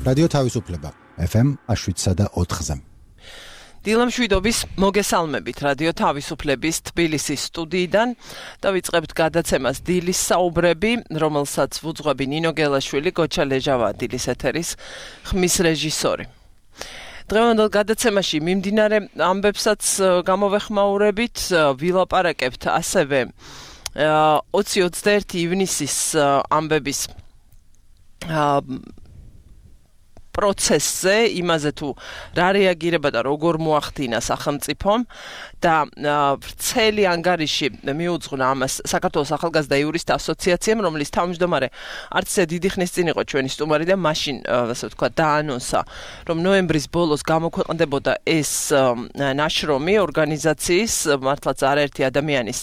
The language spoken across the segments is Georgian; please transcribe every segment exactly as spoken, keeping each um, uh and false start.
რადიო თავისუფლება ეფ ემ შვიდსა და ოთხზე. დილამშვიდობის მოგესალმებით რადიო თავისუფლების თბილისის სტუდიიდან და ვიწყებთ გადაცემას დილის საუბრები, რომელსაც ვუძღვები ნინო გელაშვილი, გოჩა ლეჟავა დილის ეთერის ხმის რეჟისორი. დღევანდელ გადაცემაში მიმდინარე ამბებსაც გამოვეხმაურებით, ვილაპარაკებთ ასევე ოცი ოცდაერთი ივნისის ამბების პროცესზე, იმაზე თუ რა რეაგირება და როგორ მოახდინა სახელმწიფომ და ვრცელი ანგარიში მიუძღვნა ამას საქართველოს ახალგაზრდა იურისტთა ასოციაციამ, რომლის თავმჯდომარე არც ისე დიდი ხნის წინ იყო ჩვენი სტუმარი და მაშინ, ასე ვთქვათ, დაანონსა, რომ ნოემბრის ბოლოს გამოქვეყნდებოდა ეს ნაშრომი ორგანიზაციის, მართლაც არაერთი ადამიანის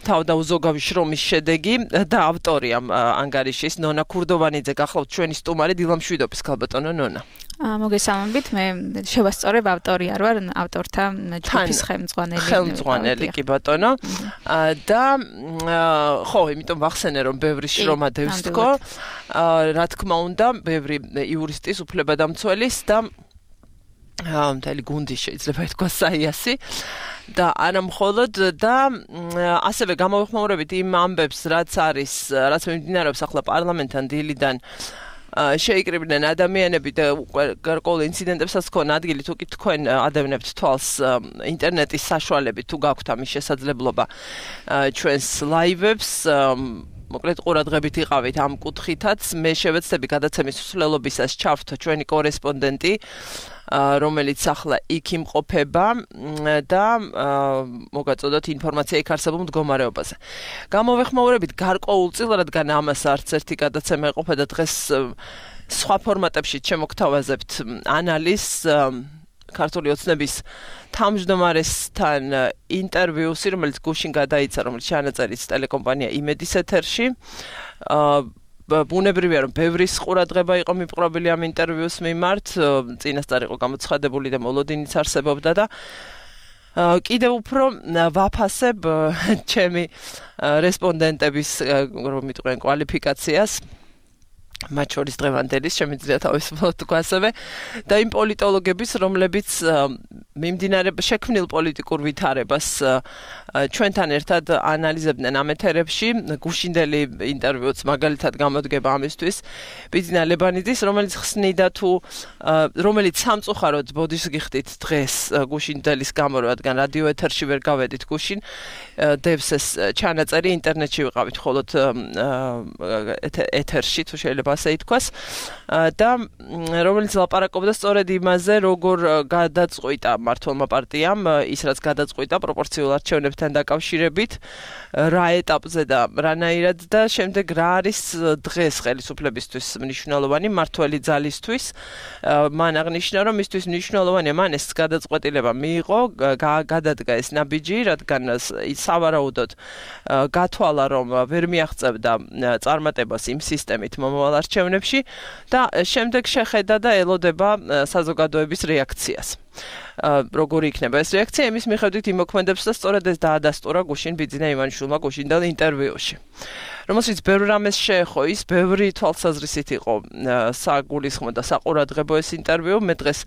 თავდაუზოგავი შრომის შედეგი და ავტორი ამ ანგარიშის ნონა ქურდოვანიძე გახლავთ ჩვენი სტუმარი დილამშვიდობის ქალბატონო ნონა. მოგესალმებით, მე შევასწორებ ავტორი არ ვარ, ავტორთა ჯგუფის ხელმძღვანელი. ხელმძღვანელი კი ბატონო. და ხო, იმიტომ ვახსენე რომ ბევრი შრომა დევს თქო. რა თქმა უნდა, ბევრი იურისტის, უფლებადამცველის და მთელი გუნდი შეიძლება ითქვას საიასი და არა მხოლოდ და ასევე გამოვეხმაურებით იმ ამბებს, რაც არის, რაც მიმდინარეობს ახლა პარლამენტთან დილიდან შეიკრიბნენ ადამიანები და გარკვეულ ინციდენტებსაც ქონ ადგილი თუ კი თქვენ ადევნებთ თვალს ინტერნეტის საშუალებით თუ გაქვთ ამის შესაძლებლობა ჩვენს ლაივებს მოკლედ ყურადღებით იყავით ამ კუთხითაც მე შევეცდები გადაცემის მსვლელობისას ჩავრთ ჩვენი კორესპონდენტი რომელიც ახლა იქ იმყოფება და მოგაწოდოთ ინფორმაცია იქ არსებულ მდგომარეობაზე. გამოვეხმაურებით გარკვეულწილად, რადგან ამას არც ერთი გადაცემა ეყოფა და დღეს სხვა ფორმატებში შემოგთავაზებთ ანალიზს ქართული ოცნების თავმჯდომარესთან ინტერვიუსი, რომელიც გუშინ გადაიცა, რომელიც ჩანაწერიც ტელეკომპანია იმედის ეთერში. ბუნებრივია რომ ბევრის ყურადღება იყო მიპყრობილი ამ ინტერვიუს მიმართ, წინასწარ იყო გამოცხადებული და მოლოდინიც არსებობდა და კიდევ უფრო ვაფასებ ჩემი რესპონდენტების რომ მიტყვიან კვალიფიკაციას მათ შორის დღევანდელის შემიძლია თავისუფლად თქვა ასევე და იმ პოლიტოლოგების, რომლებიც მიმდინარე შექმნილ პოლიტიკურ ვითარებას ჩვენთან ერთად ანალიზებდნენ ამ ეთერებში. გუშინდელი ინტერვიუც მაგალითად გამოდგება ამისთვის ბიძინა ლებანიძის, რომელიც ხსნიდა თუ რომელიც სამწუხაროდ ბოდიშგიხდით დღეს გუშინდელის გამო, რადგან რადიო ეთერში ვერ გავედით გუშინ, დევს ეს ჩანაწერი ინტერნეტში ვიყავით მხოლოდ ეთერში თუ შეიძლება ასე ითქვას და რომელიც ლაპარაკობდა სწორედ იმაზე, როგორ გადაწყვიტა მმართველმა პარტიამ ის რაც გადაწყვიტა პროპორციულ არჩევნებთან დაკავშირებით, რა ეტაპზე და რანაირად და შემდეგ რა არის დღეს ხელისუფლებისთვის მნიშვნელოვანი მმართველი ძალისთვის. მან აღნიშნა, რომ მისთვის მნიშვნელოვანია მან ეს გადაწყვეტილება მიიღო, გადადგა ეს ნაბიჯი, რადგან სავარაუდოდ გათვალა, რომ ვერ მიაღწევდა წარმატებას იმ სისტემით მომავალ არჩევნებში და შემდეგ შეხედა და ელოდება საზოგადოების რეაქციას. როგორი იქნება ეს რეაქცია, იმის მიხედვით იმოქმედებს და სწორედ ეს დაადასტურა გუშინ ბიძინა ივანიშვილმა გუშინდელ ინტერვიუში. რომელშიც ბევრ რამეს შეეხო ის, ბევრი თვალსაზრისით იყო საგულისხმო და საყურადღებო ეს ინტერვიუ. მე დღეს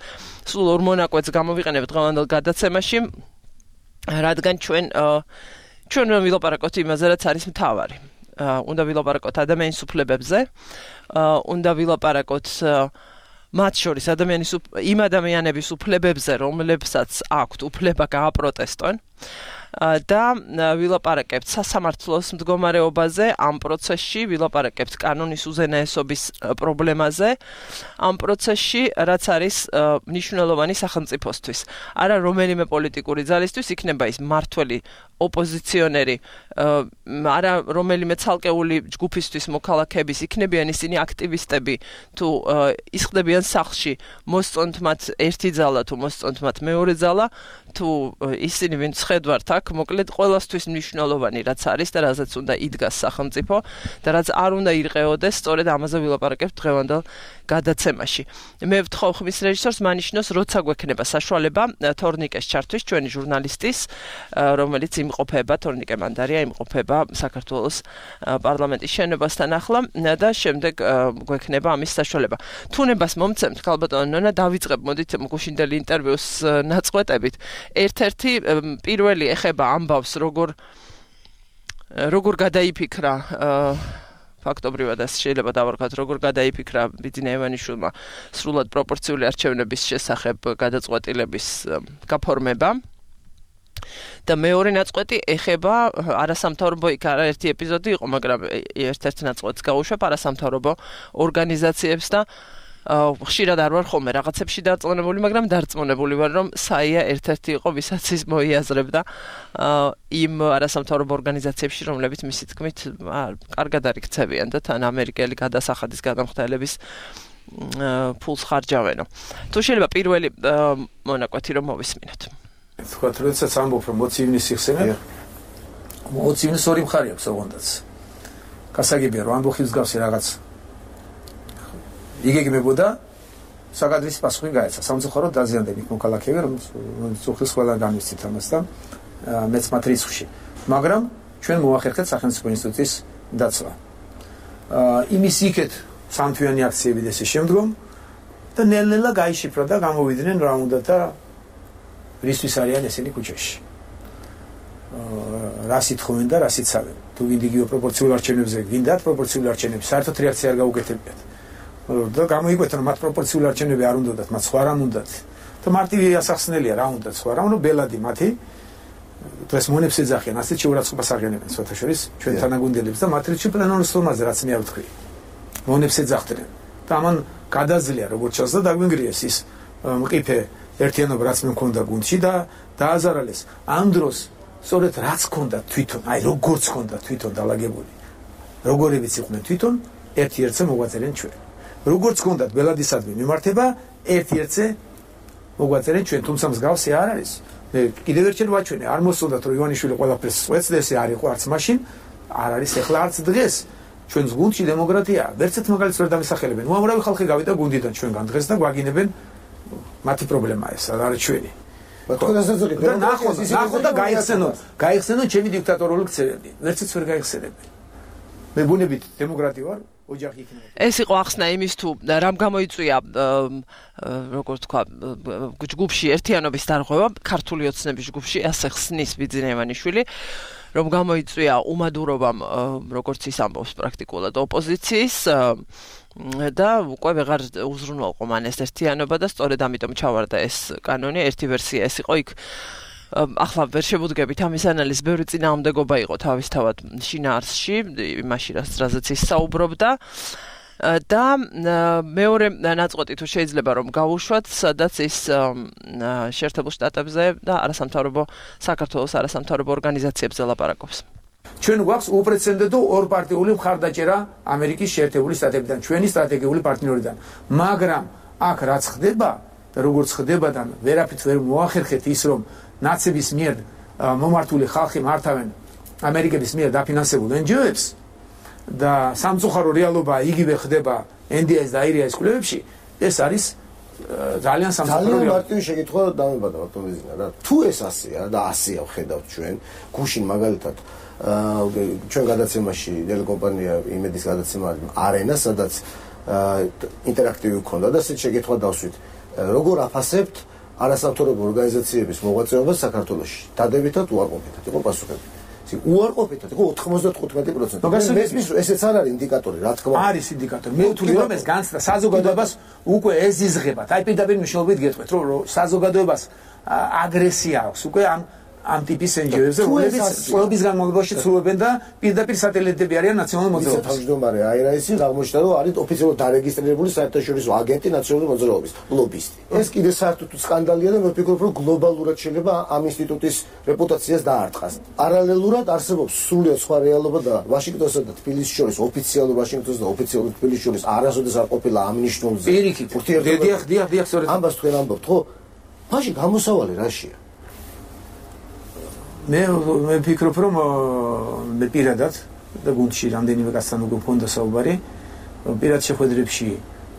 სულ ორ მონაკვეთს გამოვიყენებ დღევანდელ გადაცემაში, რადგან ჩვენ ჩვენ ვილაპარაკოთ იმაზე, რაც არის მთავარი. უნდა ვილაპარაკოთ ადამიანის უფლებებზე, უნდა ვილაპარაკოთ მათ შორის ადამიანის იმ ადამიანების უფლებებზე, რომლებსაც აქვთ უფლება გააპროტესტონ და ვილაპარაკებთ სასამართლოს მდგომარეობაზე ამ პროცესში, ვილაპარაკებთ კანონის უზენაესობის პრობლემაზე ამ პროცესში, რაც არის მნიშვნელოვანი სახელმწიფოსთვის. არა რომელიმე პოლიტიკური ძალისთვის, იქნება ის მმართველი ოპოზიციონერი, არა რომელიმე ცალკეული ჯგუფისთვის მოქალაქეების, იქნებიან ისინი აქტივისტები, თუ ისხდებიან სახლში, მოსწონთ მათ ერთი ძალა თუ მოსწონთ მათ მეორე ძალა, თუ ისინი ვინც ხედვართ აქ, მოკლედ ყველასთვის მნიშვნელოვანი რაც არის და რაზეც უნდა იდგას სახელმწიფო და რაც არ უნდა ირყეოდეს, სწორედ ამაზე ვილაპარაკებთ დღევანდელ გადაცემაში. მე ვთხოვ ხმის რეჟისორს მანიშნოს, როცა გვექნება საშუალება თორნიკეს ჩართვის, ჩვენი ჟურნალისტის, რომელიც იმყოფება, თორნიკე მანდარია იმყოფება საქართველოს პარლამენტის შენობასთან ახლა და შემდეგ გვექნება ამის საშუალება. თუნებას მომცემთ, ქალბატონო ნონა, დავიწყებ, მოდით გუშინდელი ინტერვიუს ნაწყვეტებით. ერთ-ერთი პირველი ეხება ამბავს, როგორ როგორ გადაიფიქრა ფაქტობრივად ეს შეიძლება დავარქვათ, როგორ გადაიფიქრა ბიძინა ივანიშვილმა სრულად პროპორციული არჩევნების შესახებ გადაწყვეტილების გაფორმება. და მეორე ნაწყვეტი ეხება არასამთავრობო, იქ არაერთი ეპიზოდი იყო, მაგრამ ერთ-ერთ ნაწყვეტს გავუშვებ არასამთავრობო ორგანიზაციებს და ხშირად არ ვარ ხოლმე რაღაცებში დარწმუნებული, მაგრამ დარწმუნებული ვარ, რომ საია ერთ-ერთი იყო, ვისაც ის მოიაზრებდა იმ არასამთავრობო ორგანიზაციებში, რომლებიც მისი თქმით კარგად არ იქცევიან და თან ამერიკელი გადასახადის გადამხდელების ფულს ხარჯავენო. თუ შეიძლება პირველი მონაკვეთი რომ მოვისმინოთ. თქვათ, როდესაც ამბობ, რომ მოცივნის იხსენებ, მოცივნის ორი მხარე აქვს ოღონდაც. გასაგებია, რომ ამბობ ხილსგავსი რაღაც იგეგმებოდა, საკადრის პასუხი გაეცა. სამწუხაროდ დაზიანდნენ იქ მოქალაქეები, რომ წუხლის ყველა განვიცით ამას და მეც მათ რიცხვში. მაგრამ ჩვენ მოახერხეთ სახელმწიფო ინსტიტუტის დაცვა. იმის იქეთ სამთვიანი აქციები და ესე შემდგომ და ნელ-ნელა გაიშიფრა და გამოვიდნენ რა უნდა და რისთვის არიან ესენი ქუჩაში. რას ითხოვენ და რას იცავენ. თუ გინდ იგივე პროპორციულ არჩევნებზე გინდათ პროპორციული არჩევნები, საერთოდ რეაქცია არ გაუკეთებიათ. და გამოიკვეთა რომ მათ პროპორციული არჩევნები არ უნდათ, მათ სხვა რამ უნდათ. და მარტივი ასახსნელია რა უნდათ სხვა რამ, რომ ბელადი მათი დღეს მონებს ეძახიან, ასეთ შეურაცხყოფას აღიანებენ სხვათა შორის ჩვენ თანაგუნდელებს და მათ რიცხვი პლენარულ სტოლმაზე რაც მე არ ვთქვი. მონებს ეძახდნენ. და ამან გადაძლია როგორც ჩანს და დაგვინგრიეს ის მყიფე ერთიანობა რაც მე მქონდა გუნდში და დააზარალეს. ამ დროს სწორედ რაც მქონდა თვითონ, აი როგორც მქონდა თვითონ დალაგებული. როგორებიც იყვნენ თვითონ, ერთ-ერთზე მოგვაწერენ ჩვენ. როგორც გქონდათ ბელადისადმი მიმართება, ერთ-ერთზე მოგვაწერენ ჩვენ, თუმცა მსგავსი არ არის. მე კიდევ ერთხელ ვაჩვენე, არ მოსულდათ რომ ივანიშვილი ყველაფერს წვეთს და ესე არ იყო არც მაშინ, არ არის ახლა არც დღეს. ჩვენს გუნდში დემოკრატია, ვერცეთ მაგალითს ვერ დამისახელებენ. უამრავი ხალხი გავიდა გუნდიდან ჩვენგან დღეს და გვაგინებენ მათი პრობლემაა ეს, არ არის ჩვენი. და ნახო, ნახო და გაიხსენო, გაიხსენო ჩემი დიქტატორული ქცევები. ვერცეც ვერ გაიხსენებენ. მე ბუნებით დემოკრატი ვარ. ეს იყო ახსნა იმის თუ რამ გამოიწვია როგორ თქვა ჯგუფში ერთიანობის დარღვევა, ქართული ოცნების ჯგუფში, ასე ხსნის ბიძინა ივანიშვილი, რომ გამოიწვია უმადურობამ, როგორც ის ამბობს პრაქტიკულად ოპოზიციის და უკვე ვეღარ უზრუნველყო მან ეს ერთიანობა და სწორედ ამიტომ ჩავარდა ეს კანონი. ერთი ვერსია ეს იყო იქ ახლა ვერ შევუდგებით ამის ანალიზს, ბევრი წინააღმდეგობა იყო თავისთავად შინაარსში, იმაში რაზეც ის საუბრობდა და მეორე ნაწყვეტი თუ შეიძლება რომ გავუშვათ, სადაც ის შეერთებულ შტატებზე და არასამთავრობო საქართველოს არასამთავრობო ორგანიზაციებზე ლაპარაკობს. ჩვენ გვაქვს უპრეცედენტო ორპარტიული მხარდაჭერა ამერიკის შეერთებული შტატებიდან, ჩვენი სტრატეგიული პარტნიორიდან. მაგრამ აქ რაც ხდება და როგორც ხდება და ვერაფრით ვერ მოახერხეთ ის რომ ნაცების მიერ მომართული ხალხი მართავენ ამერიკების მიერ დაფინანსებულ εν ჯი ო-ებს და სამწუხარო რეალობა იგივე ხდება ენ დი ეს და აირიას კვლევებში, ეს არის ძალიან სამწუხარო. ძალიან მარტივი შეკითხვა დამებადა ბატონო ბიზნა რა. თუ ეს ასეა და ასეა ვხედავთ ჩვენ, გუშინ მაგალითად ჩვენ გადაცემაში ტელეკომპანია იმედის გადაცემა არენა, სადაც ინტერაქტივი ქონდა და ეს შეკითხვა დავსვით. როგორ აფასებთ არასამთავრობო ორგანიზაციების მოღვაწეობას საქართველოში? დადებითად უარყოფითად იყო პასუხები. ისე უარყოფითად იყო ოთხმოცდათხუთმეტი პროცენტი. მესმის ესეც არ არის ინდიკატორი, რა თქმა უნდა. არის ინდიკატორი. მე ვთვლი რომ ეს განცდა საზოგადოებას უკვე ეზიზღებათ. აი პირდაპირ მნიშვნელობით გეტყვით, რომ საზოგადოებას აგრესია აქვს უკვე ამ ამ ტიპის εν ჯი ო-ებზე, რომლებიც წლების განმავლობაში ცდილობენ და პირდაპირ სატელიტები არიან ნაციონალურ მოძრაობას. თავმჯდომარე აირაისი აღმოჩნდა, რომ არის ოფიციალურად დარეგისტრირებული საერთაშორისო აგენტი ნაციონალური მოძრაობის, ლობისტი. ეს კიდე საერთოდ სკანდალია და მე ვფიქრობ, რომ გლობალურად შეიძლება ამ ინსტიტუტის რეპუტაციას დაარტყას. პარალელურად არსებობს სრულიად სხვა რეალობა და ვაშინგტონსა და თბილისის შორის, ოფიციალურ ვაშინგტონს და ოფიციალურ თბილისის შორის არასოდეს არ ყოფილა ამ ნიშნულზე. პირიქით, დიახ, დიახ, დიახ, სწორედ ამას თქვენ ამბობთ, ხო? მაშინ გამოსავალი რაშია? მე მე ვფიქრობ რომ მე პირადად და გუნდში რამდენიმე კაცთან უკვე მქონდა საუბარი პირად შეხვედრებში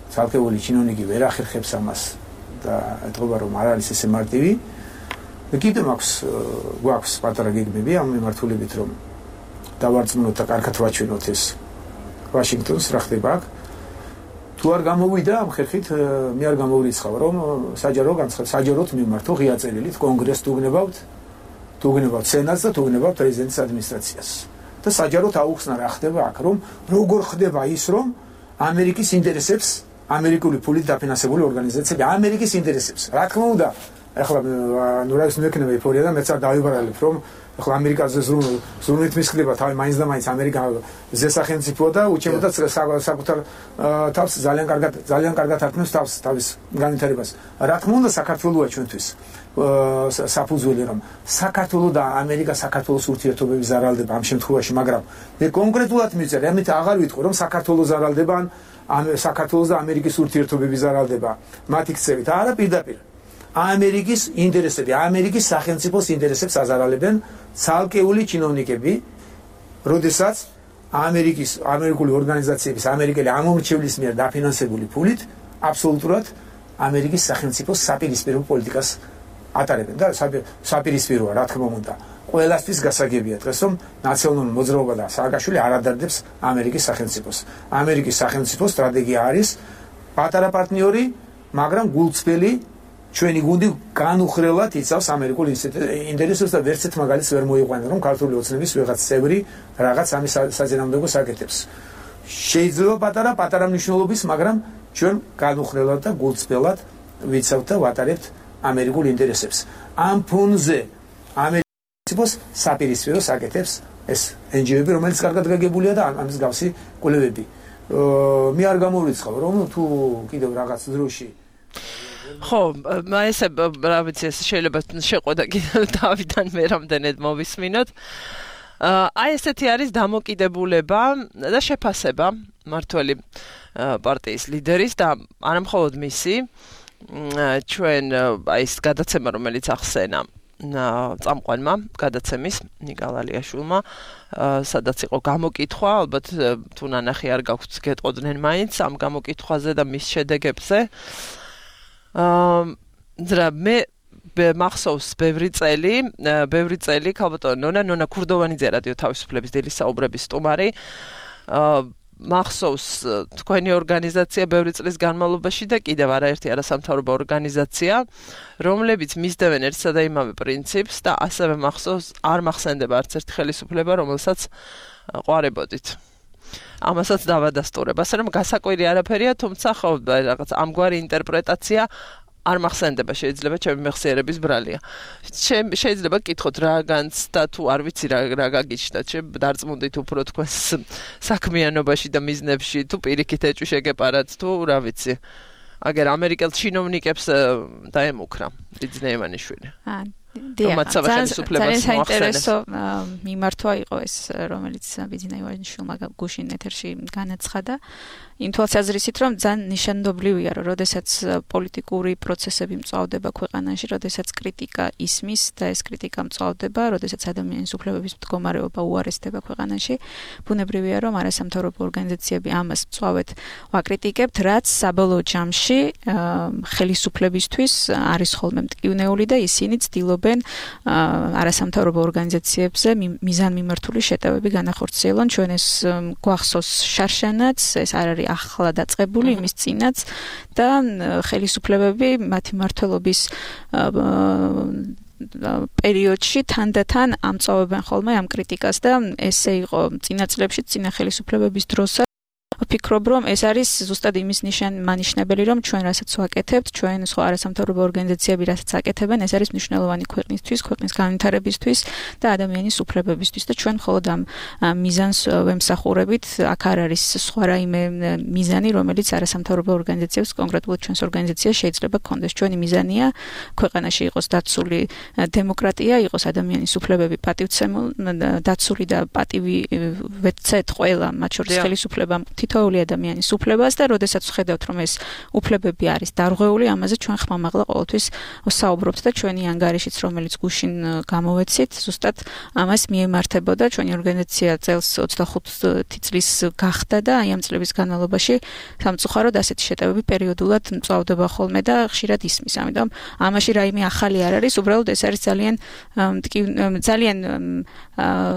ცალკეული ჩინოვნიკი ვერ ახერხებს ამას და ეთქობა რომ არ არის ესე მარტივი და კიდევ მაქვს გვაქვს პატარა გეგმები ამ მიმართულებით რომ დავარწმუნოთ და კარგად ვაჩვენოთ ეს ვაშინგტონს რა ხდება აქ თუ არ გამოვიდა ამ ხერხით მე არ გამოვრიცხავ რომ საჯარო განცხადება საჯაროდ მიმართო ღია წერილით კონგრესს თუგნებავთ თუგნებავთ სენატს და თუგნებავთ პრეზიდენტის ადმინისტრაციას და საჯაროდ აუხსნა რა ხდება აქ რომ როგორ ხდება ის რომ ამერიკის ინტერესებს ამერიკული ფულით დაფინანსებული ორგანიზაციები ამერიკის ინტერესებს რა თქმა უნდა ახლა ნუ რა ის მექნება ეფორია და მეც არ დავიბარალებ რომ ახლა ამერიკაზე ზრუნვით მისხდება თავი მაინც და მაინც ამერიკა ზესახელმწიფოა და უჩემოდა საკუთარ თავს ძალიან კარგად ძალიან კარგად ართმევს თავს თავის განვითარებას რა თქმა უნდა საქართველოა ჩვენთვის საფუძველი რომ საქართველო და ამერიკა საქართველოს ურთიერთობები ზარალდება ამ შემთხვევაში მაგრამ მე კონკრეტულად მიწერ ამით აღარ ვიტყვი რომ საქართველო ზარალდება ან საქართველოს და ამერიკის ურთიერთობები ზარალდება მათი ქცევით არა პირდაპირ ამერიკის ინტერესები ამერიკის სახელმწიფოს ინტერესებს აზარალებენ ცალკეული ჩინოვნიკები როდესაც ამერიკის ამერიკული ორგანიზაციების ამერიკელი ამომრჩევლის მიერ დაფინანსებული ფულით აბსოლუტურად ამერიკის სახელმწიფოს საპირისპირო პოლიტიკას ატარებენ და საპირისპიროა რა თქმა უნდა ყველასთვის გასაგებია დღეს რომ ნაციონალური მოძრაობა და სააკაშვილი არ ადარდებს ამერიკის სახელმწიფოს ამერიკის სახელმწიფოს სტრატეგია არის პატარა პარტნიორი მაგრამ გულწრფელი ჩვენი გუნდი განუხრელად იცავს ამერიკულ ინტერესებს და ვერცეთ მაგალითს ვერ მოიყვანა რომ ქართული ოცნების ვიღაც წევრი რაღაც ამის საზენამდეო საკეთებს შეიძლება პატარა პატარა მნიშვნელობის მაგრამ ჩვენ განუხრელად და გულწრფელად ვიცავთ და ვატარებთ ამერიკულ ინტერესებს ამ ფონზე ამერიკის საპირისპირო საკეთებს ეს ენ ჯი ო-ები რომელიც კარგად გაგებულია და ამის გავსი კვლევები მე არ გამოვრიცხავ რომ თუ კიდევ რაღაც დროში ხო, ესე რა ვიცი, შეიძლება შეყვედა კიდევ დავიდან მე რამდენად მოვისმინოთ. აი ესეთი არის დამოკიდებულება და შეფასება მართველი პარტიის ლიდერის და არა მხოლოდ მისი ჩვენ აი ეს გადაცემა რომელიც ახსენა წამყვანმა გადაცემის ნიკა ლალიაშვილმა სადაც იყო გამოკითხვა ალბათ თუ ნანახი არ გაქვთ გეტყოდნენ მაინც ამ გამოკითხვაზე და მის შედეგებზე აა მე მახსოვს ბევრი წელი, ბევრი წელი ქალბატონო ნონა ნონა ქურდოვანიძე რადიო თავისუფლების დილის საუბრების სტუმარი. აა მახსოვს თქვენი ორგანიზაცია ბევრი წლის განმავლობაში და კიდევ არაერთი არასამთავრობო ორგანიზაცია, რომლებიც მისდევენ ერთსა და იმავე პრინციპს და ასევე მახსოვს არ მახსენდება არც ერთი ხელისუფლება, რომელსაც ყვარებოდით. ამასაც დავადასტურებ. ასე რომ გასაკვირი არაფერია, თუმცა ხო რაღაც ამგვარი ინტერპრეტაცია არ მახსენდება შეიძლება ჩემი მეხსიერების ბრალია. შეიძლება გკითხოთ რა განცდა თუ არ ვიცი რა რა გაგიჩნდა, დარწმუნდით უფრო თქვენს საქმიანობაში და მიზნებში თუ პირიქით ეჭვი შეგეპარათ თუ რა ვიცი. აგერ ამერიკელ ჩინოვნიკებს დაემუქრა ლიძნე ივანიშვილი. აა ძალიან საინტერესო მიმართვა იყო ეს რომელიც ბიძინა ივანიშვილმა გუშინ ეთერში განაცხადა იმ თვალსაზრისით რომ ძალიან ნიშანდობლივია რომ როდესაც პოლიტიკური პროცესები მწვავდება ქვეყანაში, როდესაც კრიტიკა ისმის და ეს კრიტიკა მწვავდება, როდესაც ადამიანის უფლებების მდგომარეობა უარესდება ქვეყანაში, ბუნებრივია რომ არასამთავრობო ორგანიზაციები ამას მწვავედ ვაკრიტიკებთ, რაც საბოლოო ჯამში ხელისუფლებისთვის არის ხოლმე მტკივნეული და ისინი ცდილობენ არასამთავრობო ორგანიზაციებზე მიზანმიმართული შეტევები განახორციელონ. ჩვენ ეს გვახსოვს შარშანაც, ეს არ არის ახლა დაწყებული იმის წინაც და ხელისუფლებები მათი მმართველობის პერიოდში თანდათან ამწავებენ ხოლმე ამ კრიტიკას და ესე იყო წინა წლებში წინა ხელისუფლებების დროსაც ვფიქრობ რომ ეს არის ზუსტად იმის მანიშნებელი რომ ჩვენ რასაც ვაკეთებთ ჩვენ სხვა არასამთავრობო ორგანიზაციები რასაც აკეთებენ ეს არის მნიშვნელოვანი ქვეყნისთვის ქვეყნის განვითარებისთვის და ადამიანის უფლებებისთვის და ჩვენ მხოლოდ ამ მიზანს ვემსახურებით აქ არ არის სხვა რაიმე მიზანი რომელიც არასამთავრობო ორგანიზაციებს კონკრეტულად ჩვენს ორგანიზაციას შეიძლება გქონდეს ჩვენი მიზანია ქვეყანაში იყოს დაცული დემოკრატია იყოს ადამიანის უფლებები პატივცემული დაცული და პატივი ვეცეთ ყველა მათ შორის ხელისუფლებამ თითოეული ადამიანის უფლებას და როდესაც ვხედავთ რომ ეს უფლებები არის დარღვეული, ამაზე ჩვენ ხმამაღლა ყოველთვის ვსაუბრობთ და ჩვენი ანგარიშიც რომელიც გუშინ გამოვეცით, ზუსტად ამას მიემართებოდა. ჩვენი ორგანიზაცია წელს ოცდახუთი წლის გახდა და აი ამ წლების განმავლობაში სამწუხაროდ ასეთი შეტევები პერიოდულად მწვავდება ხოლმე და ხშირად ისმის. ამიტომ ამაში რაიმე ახალი არ არის, უბრალოდ ეს არის ძალიან ძალიან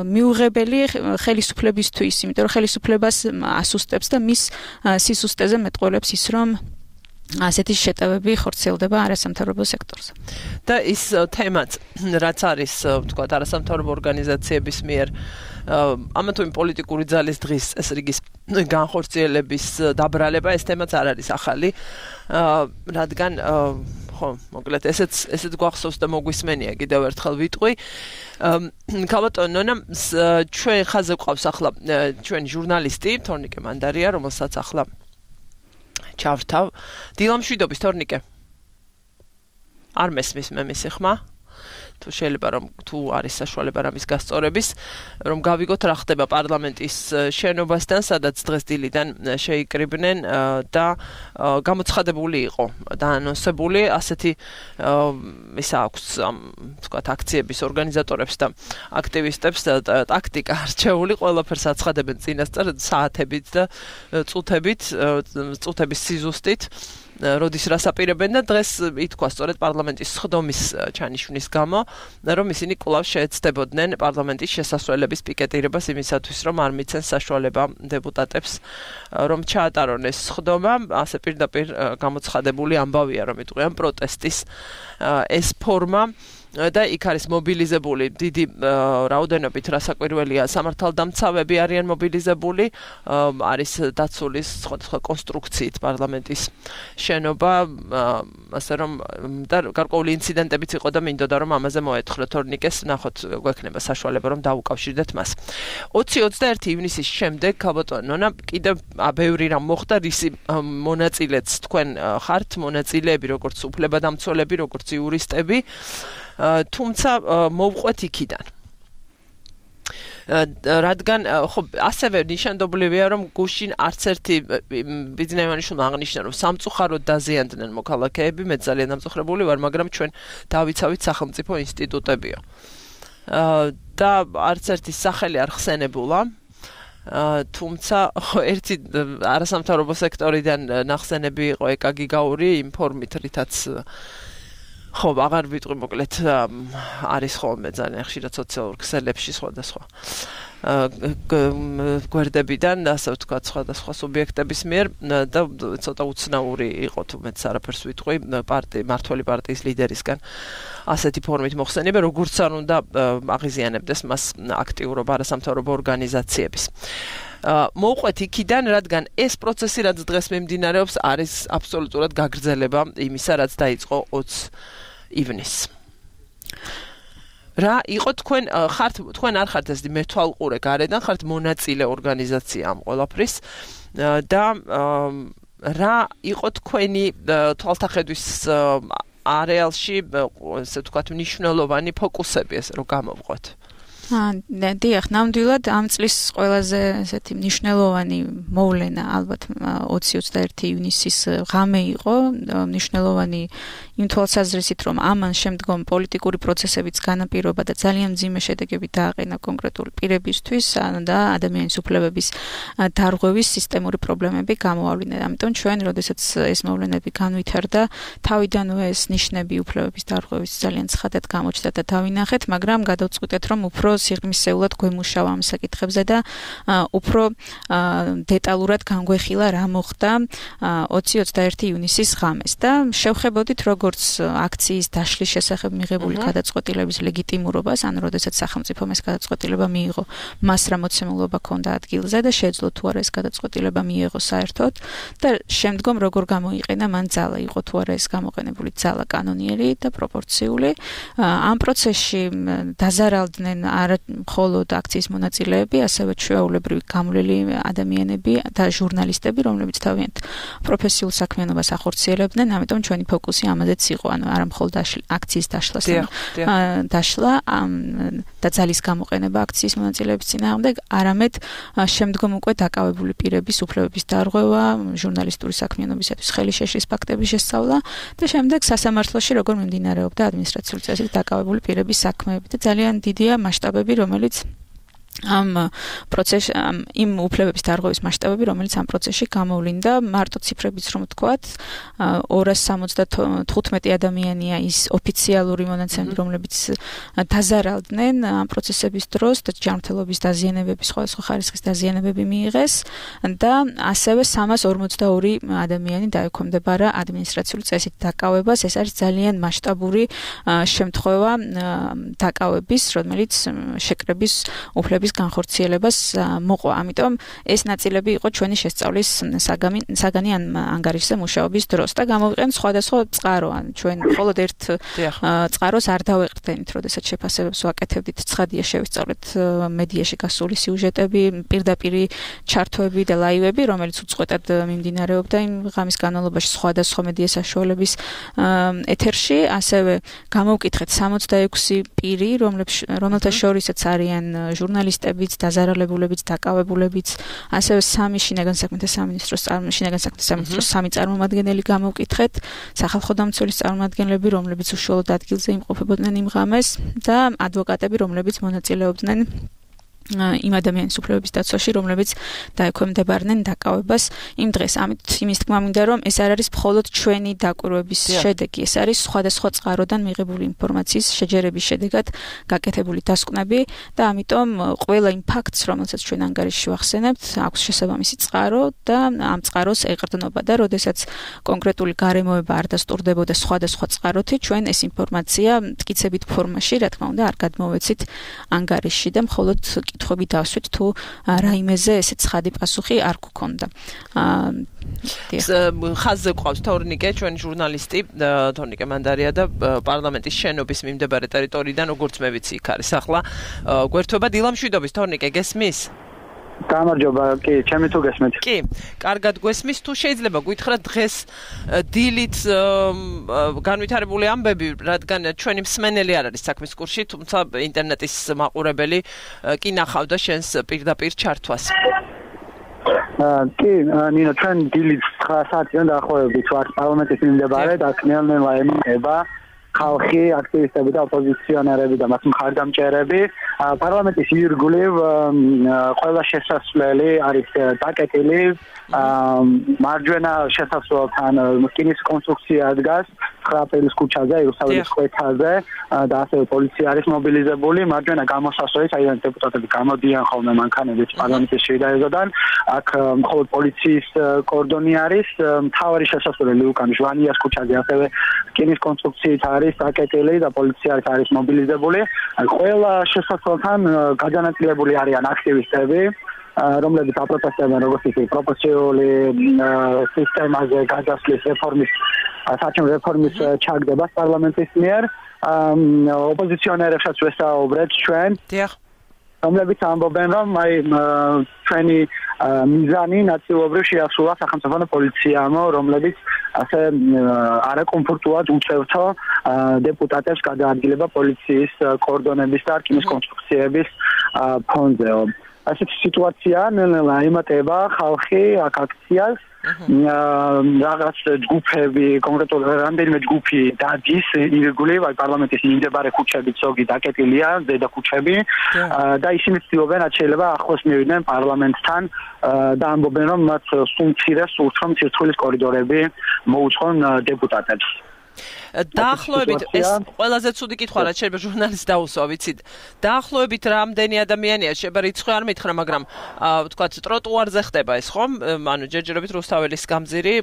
მიუღებელი ხელისუფლებისთვის, იმიტომ რომ ხელისუფლებას ასუსტებს და მის სისუსტეზე მეტყველებს ის, რომ ასეთი შეტევები ხორციელდება არასამთავრობო სექტორზე. და ის თემაც, რაც არის, ვთქვათ, არასამთავრობო ორგანიზაციების მიერ ამა თუ იმ პოლიტიკური ძალის დღის ეს რიგის განხორციელების დაბრალება, ეს თემაც არ არის ახალი, რადგან ხო, მოკლედ ესეც ესეც გვახსოვს და მოგვისმენია კიდევ ერთხელ ვიტყვი. ქალბატონო ნონა, ჩვენ ხაზე გვყავს ახლა ჩვენი ჟურნალისტი თორნიკე მანდარია, რომელსაც ახლა ჩავრთავ. დილამშვიდობის თორნიკე. არ მესმის მე მისი ხმა. თუ შეიძლება რომ თუ არის საშუალება რამის გასწორების, რომ გავიგოთ რა ხდება პარლამენტის შენობასთან, სადაც დღეს დილიდან შეიკრიბნენ და გამოცხადებული იყო და ანონსებული ასეთი ის აქვს თქვათ აქციების ორგანიზატორებს და აქტივისტებს ტაქტიკა არჩეული, ყველაფერს აცხადებენ წინასწარ საათებით და წუთებით, წუთების სიზუსტით. როდის რას აპირებენ და დღეს ითქვა სწორედ პარლამენტის სხდომის ჩანიშვნის გამო, რომ ისინი კვლავ შეეცდებოდნენ პარლამენტის შესასვლელების პიკეტირებას იმისათვის, რომ არ მიცენ საშუალება დეპუტატებს, რომ ჩაატარონ ეს სხდომა, ასე პირდაპირ გამოცხადებული ამბავია, რომ იტყვიან პროტესტის ეს ფორმა. და იქ არის მობილიზებული დიდი რაოდენობით რასაკვირველია სამართალდამცავები არიან მობილიზებული, არის დაცული სხვადასხვა კონსტრუქციით პარლამენტის შენობა, ასე რომ და გარკვეული ინციდენტებიც იყო და მინდოდა რომ ამაზე მოეთხრო თორნიკეს, ნახოთ გვექნება საშუალება რომ დავუკავშირდეთ მას. ოცი ოცდაერთი ივნისის შემდეგ ქალბატონო ნონა კიდევ ბევრი რამ მოხდა, რისი მონაწილეც თქვენ ხართ, მონაწილეები როგორც უფლებადამცველები, როგორც იურისტები. თუმცა მოვყვეთ იქიდან. რადგან ხო ასევე ნიშანდობლივია რომ გუშინ არც ერთი ბიზნესმენიშვილმა აღნიშნა რომ სამწუხაროდ დაზიანდნენ მოქალაქეები, მე ძალიან დამწუხრებული ვარ, მაგრამ ჩვენ დავიცავით სახელმწიფო ინსტიტუტებიო. და არც ერთი სახელი არ ხსენებულა. თუმცა ხო ერთი არასამთავრობო სექტორიდან ნახსენები იყო ეკა გიგაური იმ ფორმით, რითაც ხო, აღარ ვიტყვი მოკლედ არის ხოლმე ძალიან ხშირად სოციალურ ქსელებში სხვადასხვა გვერდებიდან, ასე ვთქვათ, სხვადასხვა სუბიექტების მიერ და ცოტა უცნაური იყო თუ მეც არაფერს ვიტყვი პარტი მართველი პარტიის ლიდერისგან ასეთი ფორმით მოხსენება, როგორც არ უნდა აღიზიანებდეს მას აქტიურობა არასამთავრობო ორგანიზაციების. მოვყვეთ იქიდან, რადგან ეს პროცესი, რაც დღეს მიმდინარეობს, არის აბსოლუტურად გაგრძელება იმისა, რაც დაიწყო ოცი ივნისს. რა იყო თქვენ ხართ თქვენ არ ხართ ეს მეთვალყურე გარედან, ხართ მონაწილე ორგანიზაცია ამ ყველაფრის და რა იყო თქვენი თვალთახედვის არეალში, ესე ვთქვათ, მნიშვნელოვანი ფოკუსები, ეს რომ გამოვყოთ? დიახ, ნამდვილად ამ წლის ყველაზე ესეთი მნიშვნელოვანი მოვლენა ალბათ ოცი ოცდაერთი ივნისის ღამე იყო, მნიშვნელოვანი იმ თვალსაზრისით, რომ ამან შემდგომ პოლიტიკური პროცესებიც განაპირობა და ძალიან მძიმე შედეგები დააყენა კონკრეტული პირებისთვის და ადამიანის უფლებების დარღვევის სისტემური პრობლემები გამოავლინეს. ამიტომ ჩვენ, როდესაც ეს მოვლენები განვითარდა, თავიდანვე ეს ნიშნები უფლებების დარღვევის ძალიან ცხადად გამოჩნდა და დავინახეთ, მაგრამ გადავწყვიტეთ, რომ უფრო სიღრმისეულად გვემუშავა ამ საკითხებზე და უფრო დეტალურად განგვეხილა რა მოხდა ოცი ოცდაერთი ივნისის ღამეს და შევხებოდით როგორც აქციის დაშლის შესახებ მიღებული გადაწყვეტილების ლეგიტიმურობას, ან როდესაც სახელმწიფომ ეს გადაწყვეტილება მიიღო, მას რა მოცემულობა ჰქონდა ადგილზე და შეძლო თუ არა ეს გადაწყვეტილება მიიღო საერთოდ და შემდგომ როგორ გამოიყენა მან ძალა, იყო თუ არა ეს გამოყენებული ძალა კანონიერი და პროპორციული. ამ პროცესში დაზარალდნენ არა მხოლოდ აქციის მონაწილეები, ასევე ჩვეულებრივი გამვლელი ადამიანები და ჟურნალისტები, რომლებიც თავიანთ პროფესიულ საქმიანობას ახორციელებდნენ, ამიტომ ჩვენი ფოკუსი ამაზეც იყო, ანუ არა მხოლოდ აქციის დაშლასთან დაშლა და ძალის გამოყენება აქციის მონაწილეების წინააღმდეგ, არამედ შემდგომ უკვე დაკავებული პირების უფლებების დარღვევა, ჟურნალისტური საქმიანობისათვის ხელი შეშლის ფაქტების შესწავლა და შემდეგ სასამართლოში როგორ მიმდინარეობდა ადმინისტრაციული წესით დაკავებული პირების საქმეები და ძალიან დიდია მასშტაბები, რომელიც ამ პროცესში იმ უფლებების დარღვევის მასშტაბები, რომელიც ამ პროცესში გამოვლინდა, მარტო ციფრებიც რომ ვთქვათ, ორას სამოცდათხუთმეტი ადამიანია ის ოფიციალური მონაცემები, რომლებიც დაზარალდნენ ამ პროცესების დროს და ჯანმრთელობის დაზიანებები, სხვადასხვა ხარისხის დაზიანებები მიიღეს და ასევე სამას ორმოცდაორი ადამიანი დაექვემდებარა ადმინისტრაციული წესით დაკავებას. ეს არის ძალიან მასშტაბური შემთხვევა დაკავების, რომელიც შეკრების უფლების განხორციელებას მოყვა. ამიტომ ეს ნაწილები იყო ჩვენი შესწავლის საგანი ან ანგარიშზე მუშაობის დროს და გამოვიყენთ სხვადასხვა წყარო. ან ჩვენ მხოლოდ ერთ წყაროს არ დავეყრდენით, როდესაც შეფასებებს ვაკეთებდით. ცხადია შევისწავლეთ მედიაში გასული სიუჟეტები, პირდაპირი ჩართვები და ლაივები, რომელიც უწყვეტად მიმდინარეობდა იმ ღამის განმავლობაში სხვადასხვა მედია საშუალების ეთერში. ასევე გამოვკითხეთ სამოცდაექვსი პირი, რომელთა შორისაც არიან ჟურნალისტები, დაზარალებულებიც, დაკავებულებიც, ასევე სამი შინაგან საქმეთა სამინისტროს შინაგან საქმეთა სამინისტროს სამი წარმომადგენელი გამოვკითხეთ, სახალხო დამცველის წარმომადგენლები, რომლებიც უშუალოდ ადგილზე იმყოფებოდნენ იმ ღამეს და ადვოკატები, რომლებიც მონაწილეობდნენ იმ ადამიანის უფლებების დაცვაში, რომლებიც დაექვემდებარნენ დაკავებას იმ დღეს. ამით იმის თქმა მინდა, რომ ეს არ არის მხოლოდ ჩვენი დაკვირვების შედეგი, ეს არის სხვადასხვა წყაროდან მიღებული ინფორმაციის შეჯერების შედეგად გაკეთებული დასკვნები და ამიტომ ყველა იმ ფაქტს, რომელსაც ჩვენ ანგარიშში ვახსენებთ, აქვს შესაბამისი წყარო და ამ წყაროს ეყრდნობა და როდესაც კონკრეტული გარემოება არ დასტურდებოდა სხვადასხვა წყაროთი, ჩვენ ეს ინფორმაცია მტკიცებით ფორმაში, რა თქმა უნდა, არ გადმოვეცით ანგარიშში და მხოლოდ კითხვები დავსვით თუ რაიმეზე ესე ცხადი პასუხი არ გქონდა. ხაზზე ყავს თორნიკე, ჩვენი ჟურნალისტი, თორნიკე მანდარია და პარლამენტის შენობის მიმდებარე ტერიტორიიდან, როგორც მე ვიცი, იქ არის ახლა გვერდთვება დილამშვიდობის. თორნიკე, გესმის? გამარჯობა, კი, ჩემი თუ გესმით? კი, კარგად გვესმის. თუ შეიძლება გითხრათ დღეს დილით განვითარებული ამბები, რადგან ჩვენი მსმენელი არ არის საქმის კურსში, თუმცა ინტერნეტის მაყურებელი კი ნახავდა შენს პირდაპირ ჩართვას. კი, ნინო, ჩვენ დილით ცხრა საათიდან დაახლოებით ვართ პარლამენტის მიმდებარე და ნელ-ნელა ემუქრება ხალხი, აქტივისტები და ოპოზიციონერები და მათ მხარდამჭერები. პარლამენტის ირგვლივ ყველა შესასვლელი არის დაკეტილი. მარჯვენა შესასვლელთან რკინის კონსტრუქცია დგას ცხრა აპრილის ქუჩაზე, იერუსალიმის კვეთაზე და ასევე პოლიცია არის მობილიზებული. მარჯვენა გამოსასვლელი, საიდანაც დეპუტატები გამოდიან ხოლმე მანქანებით პარლამენტის შედარებიდან. აქ მხოლოდ პოლიციის კორდონი არის. მთავარი შესასვლელი ლუკან ჟვანიას ქუჩაზე ასევე რკინის კონსტრუქციით არის დაკეტილი და პოლიცია არის მობილიზებული. ყველა შესასვლელთან გადანაწილებული არიან აქტივისტები, რომლებიც აპროტესტებენ როგორც ისე პროპორციული სისტემაზე გადასვლის რეფორმის საჩვენო რეფორმის ჩაგდებას პარლამენტის მიერ. ოპოზიციონერებსაც ვესაუბრეთ ჩვენ, რომლებიც ამბობენ, რომ აი ჩვენი მიზანი ნაწილობრივ შეასრულა სახელმწიფო პოლიციამ, რომლებიც ასე არაკომფორტულად უწევთო დეპუტატებს გადაადგილება პოლიციის კორდონების და რკინის კონსტრუქციების ფონზე. ასეთი სიტუაცია ნელ-ნელა ემატება ხალხი აქ აქციას. რაღაც ჯგუფები, კონკრეტულად რამდენიმე ჯგუფი დადის ირგვლივ პარლამენტის მიმდებარე ქუჩებით, ზოგი დაკეტილია, ზედა ქუჩები და ისინი ცდილობენ რაც შეიძლება ახლოს მივიდნენ პარლამენტთან და ამბობენ, რომ მათ სულ მცირე სურთ, რომ ცირცხვილის კორიდორები მოუწყონ დეპუტატებს. დაახლოებით ეს ყველაზე ცუდი კითხვა რაც შეიძლება ჟურნალისტს დაუსვა, ვიცით. დაახლოებით რამდენი ადამიანია, შეიძლება რიცხვი არ მითხრა, მაგრამ ვთქვათ ტროტუარზე ხდება ეს, ხომ? ანუ ჯერჯერობით რუსთაველის გამზირი,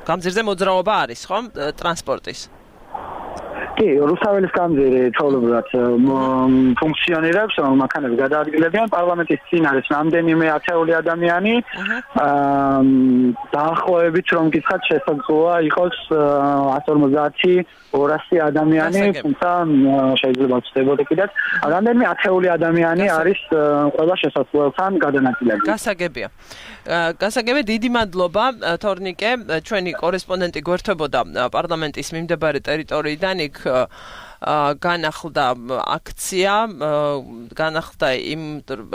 გამზირზე მოძრაობა არის, ხომ? ტრანსპორტის. კი, რუსთაველის კამძირი თოლებურად ფუნქციონირებს, მანქანები გადაადგილებიან პარლამენტის წინ არის რამდენიმე ათეული ადამიანი. დაახლოებით რომ გითხრათ შესაძლოა იყოს εκατόν ორმოცდაათი ორასი ადამიანი, თუმცა შეიძლება ვწდებოდე კიდეც. რამდენიმე ათეული ადამიანი არის ყველა შესაძლოებთან გადანაწილებული. გასაგებია. გასაგებია, დიდი მადლობა თორნიკე, ჩვენი კორესპონდენტი გვერდებოდა პარლამენტის მიმდებარე ტერიტორიიდან, იქ განახლდა აქცია, განახლდა იმ,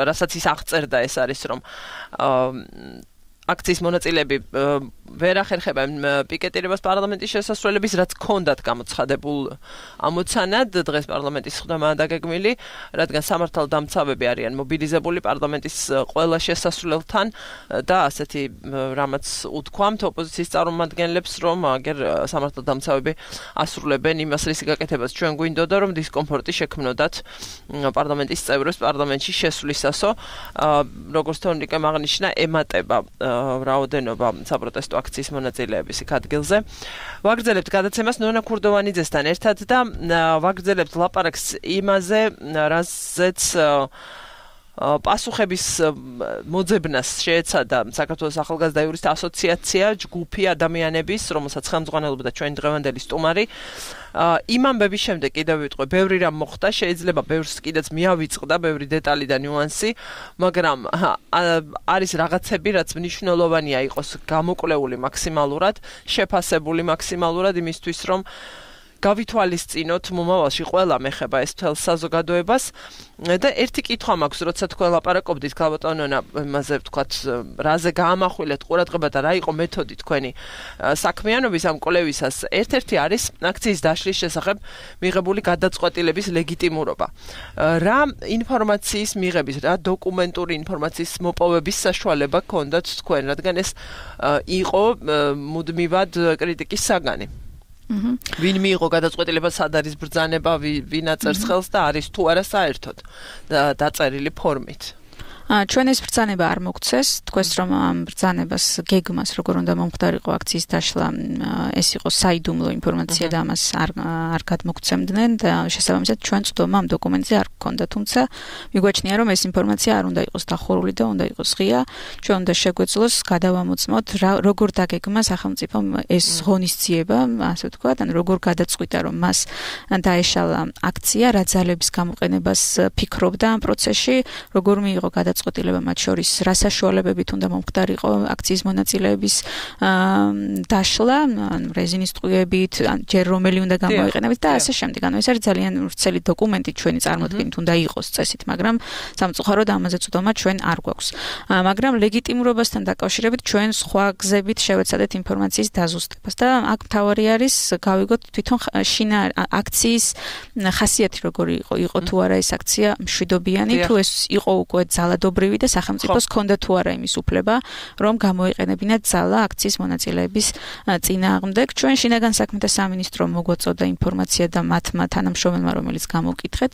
რასაც ის აღწერდა, ეს არის რომ აქციის მონაწილეები ვერ ახერხებენ პიკეტირებას პარლამენტის შესასვლელების, რაც ჰქონდათ გამოცხადებულ ამოცანად. დღეს პარლამენტის სხდომაა დაგეგმილი, რადგან სამართალდამცავები არიან მობილიზებული პარლამენტის ყველა შესასვლელთან და ასეთი რამაც უთქვამთ ოპოზიციის წარმომადგენლებს, რომ აგერ სამართალდამცავები ასრულებენ იმას, რის გაკეთებას ჩვენ გვინდოდა, რომ დისკომფორტი შექმნოდათ პარლამენტის წევრებს პარლამენტში შესვლისასო. როგორც თორნიკემ აღნიშნა, ემატება რაოდენობა საპროტესტო აქციის მონაწილეების იქ ადგილზე. ვაგრძელებთ გადაცემას ნონა ქურდოვანიძესთან ერთად და ვაგრძელებთ ლაპარაკს იმაზე, რაზეც პასუხების მოძებნას შეეცადა საქართველოს ახალგაზრდა იურისტთა ასოციაცია, ჯგუფი ადამიანების, რომელსაც ხელმძღვანელობდა ჩვენი დღევანდელი სტუმარი. იმ ამბების შემდეგ კიდევ ვიტყვე, ბევრი რამ მოხდა, შეიძლება ბევრს კიდეც მიავიწყდა, ბევრი დეტალი და ნიუანსი, მაგრამ არის რაღაცები, რაც მნიშვნელოვანია იყოს გამოკვლეული მაქსიმალურად, შეფასებული მაქსიმალურად იმისთვის, რომ გავითვალისწინოთ მომავალში ყველა მეხება ეს თელ საზოგადოებას და ერთი კითხვა მაქვს, როცა თქვენ ლაპარაკობდით ქალბატონონა იმაზე ვთქვათ, რაზე გაამახვილეთ ყურადღება და რა იყო მეთოდი თქვენი საქმიანობის ამ კვლევისას. ერთ-ერთი არის აქციის დაშლის შესახებ მიღებული გადაწყვეტილების ლეგიტიმურობა. რა ინფორმაციის მიღების, რა დოკუმენტური ინფორმაციის მოპოვების საშუალება ჰქონდათ თქვენ, რადგან ეს იყო მუდმივად კრიტიკის საგანი. ვინ მიიღო გადაწყვეტილებას, სად არის ბრძანება, ვინ აწერს ხელს და არის თუ არა საერთოდ დაწერილი ფორმით. ჩვენ ეს ბრძანება არ მოგცეს, თქვენს რომ ამ ბრძანებას გეგმას როგორ უნდა მომხდარიყო აქციის დაშლა, ეს იყო საიდუმლო ინფორმაცია და ამას არ არ გადმოგცემდნენ და შესაბამისად ჩვენ წვდომა ამ დოკუმენტზე არ გქონდა, თუმცა მიგვაჩნია რომ ეს ინფორმაცია არ უნდა იყოს დახურული და უნდა იყოს ღია. ჩვენ უნდა შეგვეძლოს გადავამოწმოთ როგორ დაგეგმა სახელმწიფომ ეს ღონისძიება, ასე ვთქვათ, ან როგორ გადაწყვიტა რომ მას დაეშალა აქცია, რა ძალების გამოყენებას ფიქრობდა ამ პროცესში, როგორ მიიღო გადაწყვეტილება წყვეტილება მათ შორის რა საშუალებებით უნდა მომხდარიყო აქციის მონაწილეების დაშლა, რეზინის ტყუებით, ჯერ რომელი უნდა გამოიყენებდეს და ასე შემდეგ. ანუ ეს არის ძალიან ვრცელი დოკუმენტი, ჩვენი წარმოდგენით უნდა იყოს წესით, მაგრამ სამწუხაროდ ამაზე წვდომა ჩვენ არ გვაქვს. მაგრამ ლეგიტიმურობასთან დაკავშირებით ჩვენ სხვა გზებით შევეცადეთ ინფორმაციის დაზუსტებას და აქ მთავარი არის გავიგოთ თვითონ შინა აქციის ხასიათი როგორი იყო, იყო თუ არა ეს აქცია მშვიდობიანი, თუ ეს იყო უკვე ძალადობრივი და სახელმწიფოს ჰქონდა თუ არა იმის უფლება, რომ გამოიყენებინა ძალა აქციის მონაწილეების წინააღმდეგ. ჩვენ შინაგან საქმეთა სამინისტრომ მოგვაწოდა ინფორმაცია და მათმა თანამშრომელმა, რომელიც გამოვკითხეთ,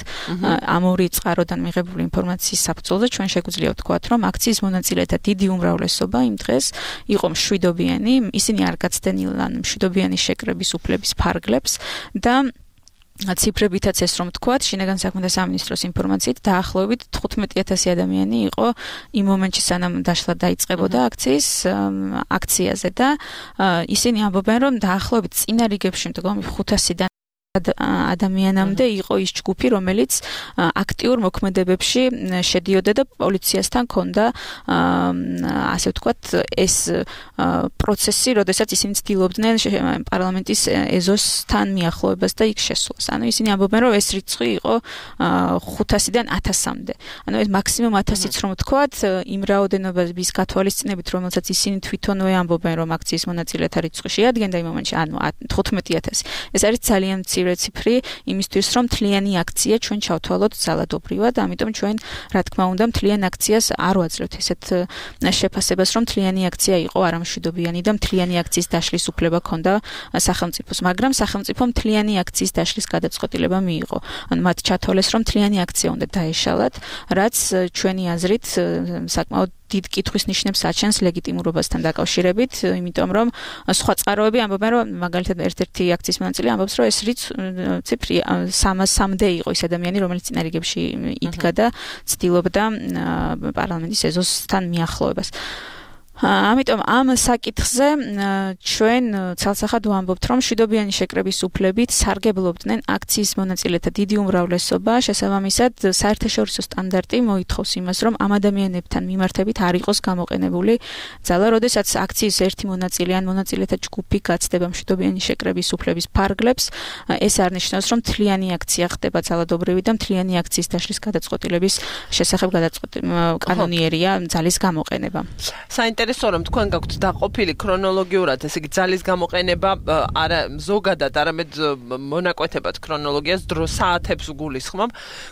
ამ ორი წყაროდან მიღებული ინფორმაციის საფუძველზე ჩვენ შეგვიძლია ვთქვათ, რომ აქციის მონაწილეთა დიდი უმრავლესობა იმ დღეს იყო მშვიდობიანი, ისინი არ გაცდენილან მშვიდობიანი შეკრების უფლების ფარგლებს და ციფრებითაც ეს რომ თქვათ, შინაგან საქმეთა სამინისტროს ინფორმაციით დაახლოებით თხუთმეტი ათასი ადამიანი იყო იმ მომენტში, სანამ დაშლა დაიწყებოდა აქციის აქციაზე და ისინი ამბობენ, რომ დაახლოებით წინა რიგებში მდგომი ხუთასიდან ადამიანამდე იყო ის ჯგუფი, რომელიც აქტიურ მოქმედებებში შედიოდა და პოლიციასთან ჰქონდა ასე ვთქვათ ეს პროცესი, როდესაც ისინი ცდილობდნენ პარლამენტის ეზოსთან მიახლოებას და იქ შესვლას. ანუ ისინი ამბობენ, რომ ეს რიცხვი იყო ხუთასიდან ათასამდე. ანუ ეს მაქსიმუმ ათასიც რომ ვთქვათ, იმ რაოდენობის გათვალისწინებით, რომელსაც ისინი თვითონვე ამბობენ, რომ აქციის მონაწილეთა რიცხვი შეადგენდა იმ მომენტში, ანუ თხუთმეტი ათასი. ეს არის ძალიან ციფრი იმისთვის, რომ მთლიანი აქცია ჩვენ ჩავთვალოთ ძალადობრივად, ამიტომ ჩვენ რა თქმა უნდა მთლიან აქციას არ ვაძლევთ ესეთ შეფასებას, რომ მთლიანი აქცია იყო არამშვიდობიანი და მთლიანი აქციის დაშლის უფლება ჰქონდა სახელმწიფოს, მაგრამ სახელმწიფო მთლიანი აქციის დაშლის გადაწყვეტილება მიიღო. ანუ მათ ჩათვალეს, რომ მთლიანი აქცია უნდა დაეშალათ, რაც ჩვენი აზრით საკმაოდ დიდ კითხვის ნიშნებს აჩენს ლეგიტიმურობასთან დაკავშირებით, იმიტომ რომ სხვა წყაროები ამბობენ, რომ მაგალითად ერთ-ერთი აქციის მონაწილე ამბობს, რომ ეს ციფრი სამასამდე იყო ის ადამიანი, რომელიც წინა რიგებში იდგა და ცდილობდა პარლამენტის ეზოსთან მიახლოებას. ამიტომ ამ საკითხზე ჩვენ ცალსახად ვამბობთ, რომ მშვიდობიანი შეკრების უფლებით სარგებლობდნენ აქციის მონაწილეთა დიდი უმრავლესობა, შესაბამისად საერთაშორისო სტანდარტი მოითხოვს იმას, რომ ამ ადამიანებთან მიმართებით არ იყოს გამოყენებული ძალა, როდესაც აქციის ერთი მონაწილე ან მონაწილეთა ჯგუფი გაცდება მშვიდობიანი შეკრების უფლების ფარგლებს, ეს არნიშნავს, რომ მთლიანი აქცია ხდება ძალადობრივი და მთლიანი აქციის დაშლის გადაწყვეტილების შესახებ კანონიერია ძალის გამოყენება. საინტერესო რომ თქვენ გაქვთ დაყოფილი ქრონოლოგიურად, ესე იგი ძალის გამოყენება არა ზოგადად, არამედ მონაკვეთებად ქრონოლოგიას დრო საათებს გულისხმობ.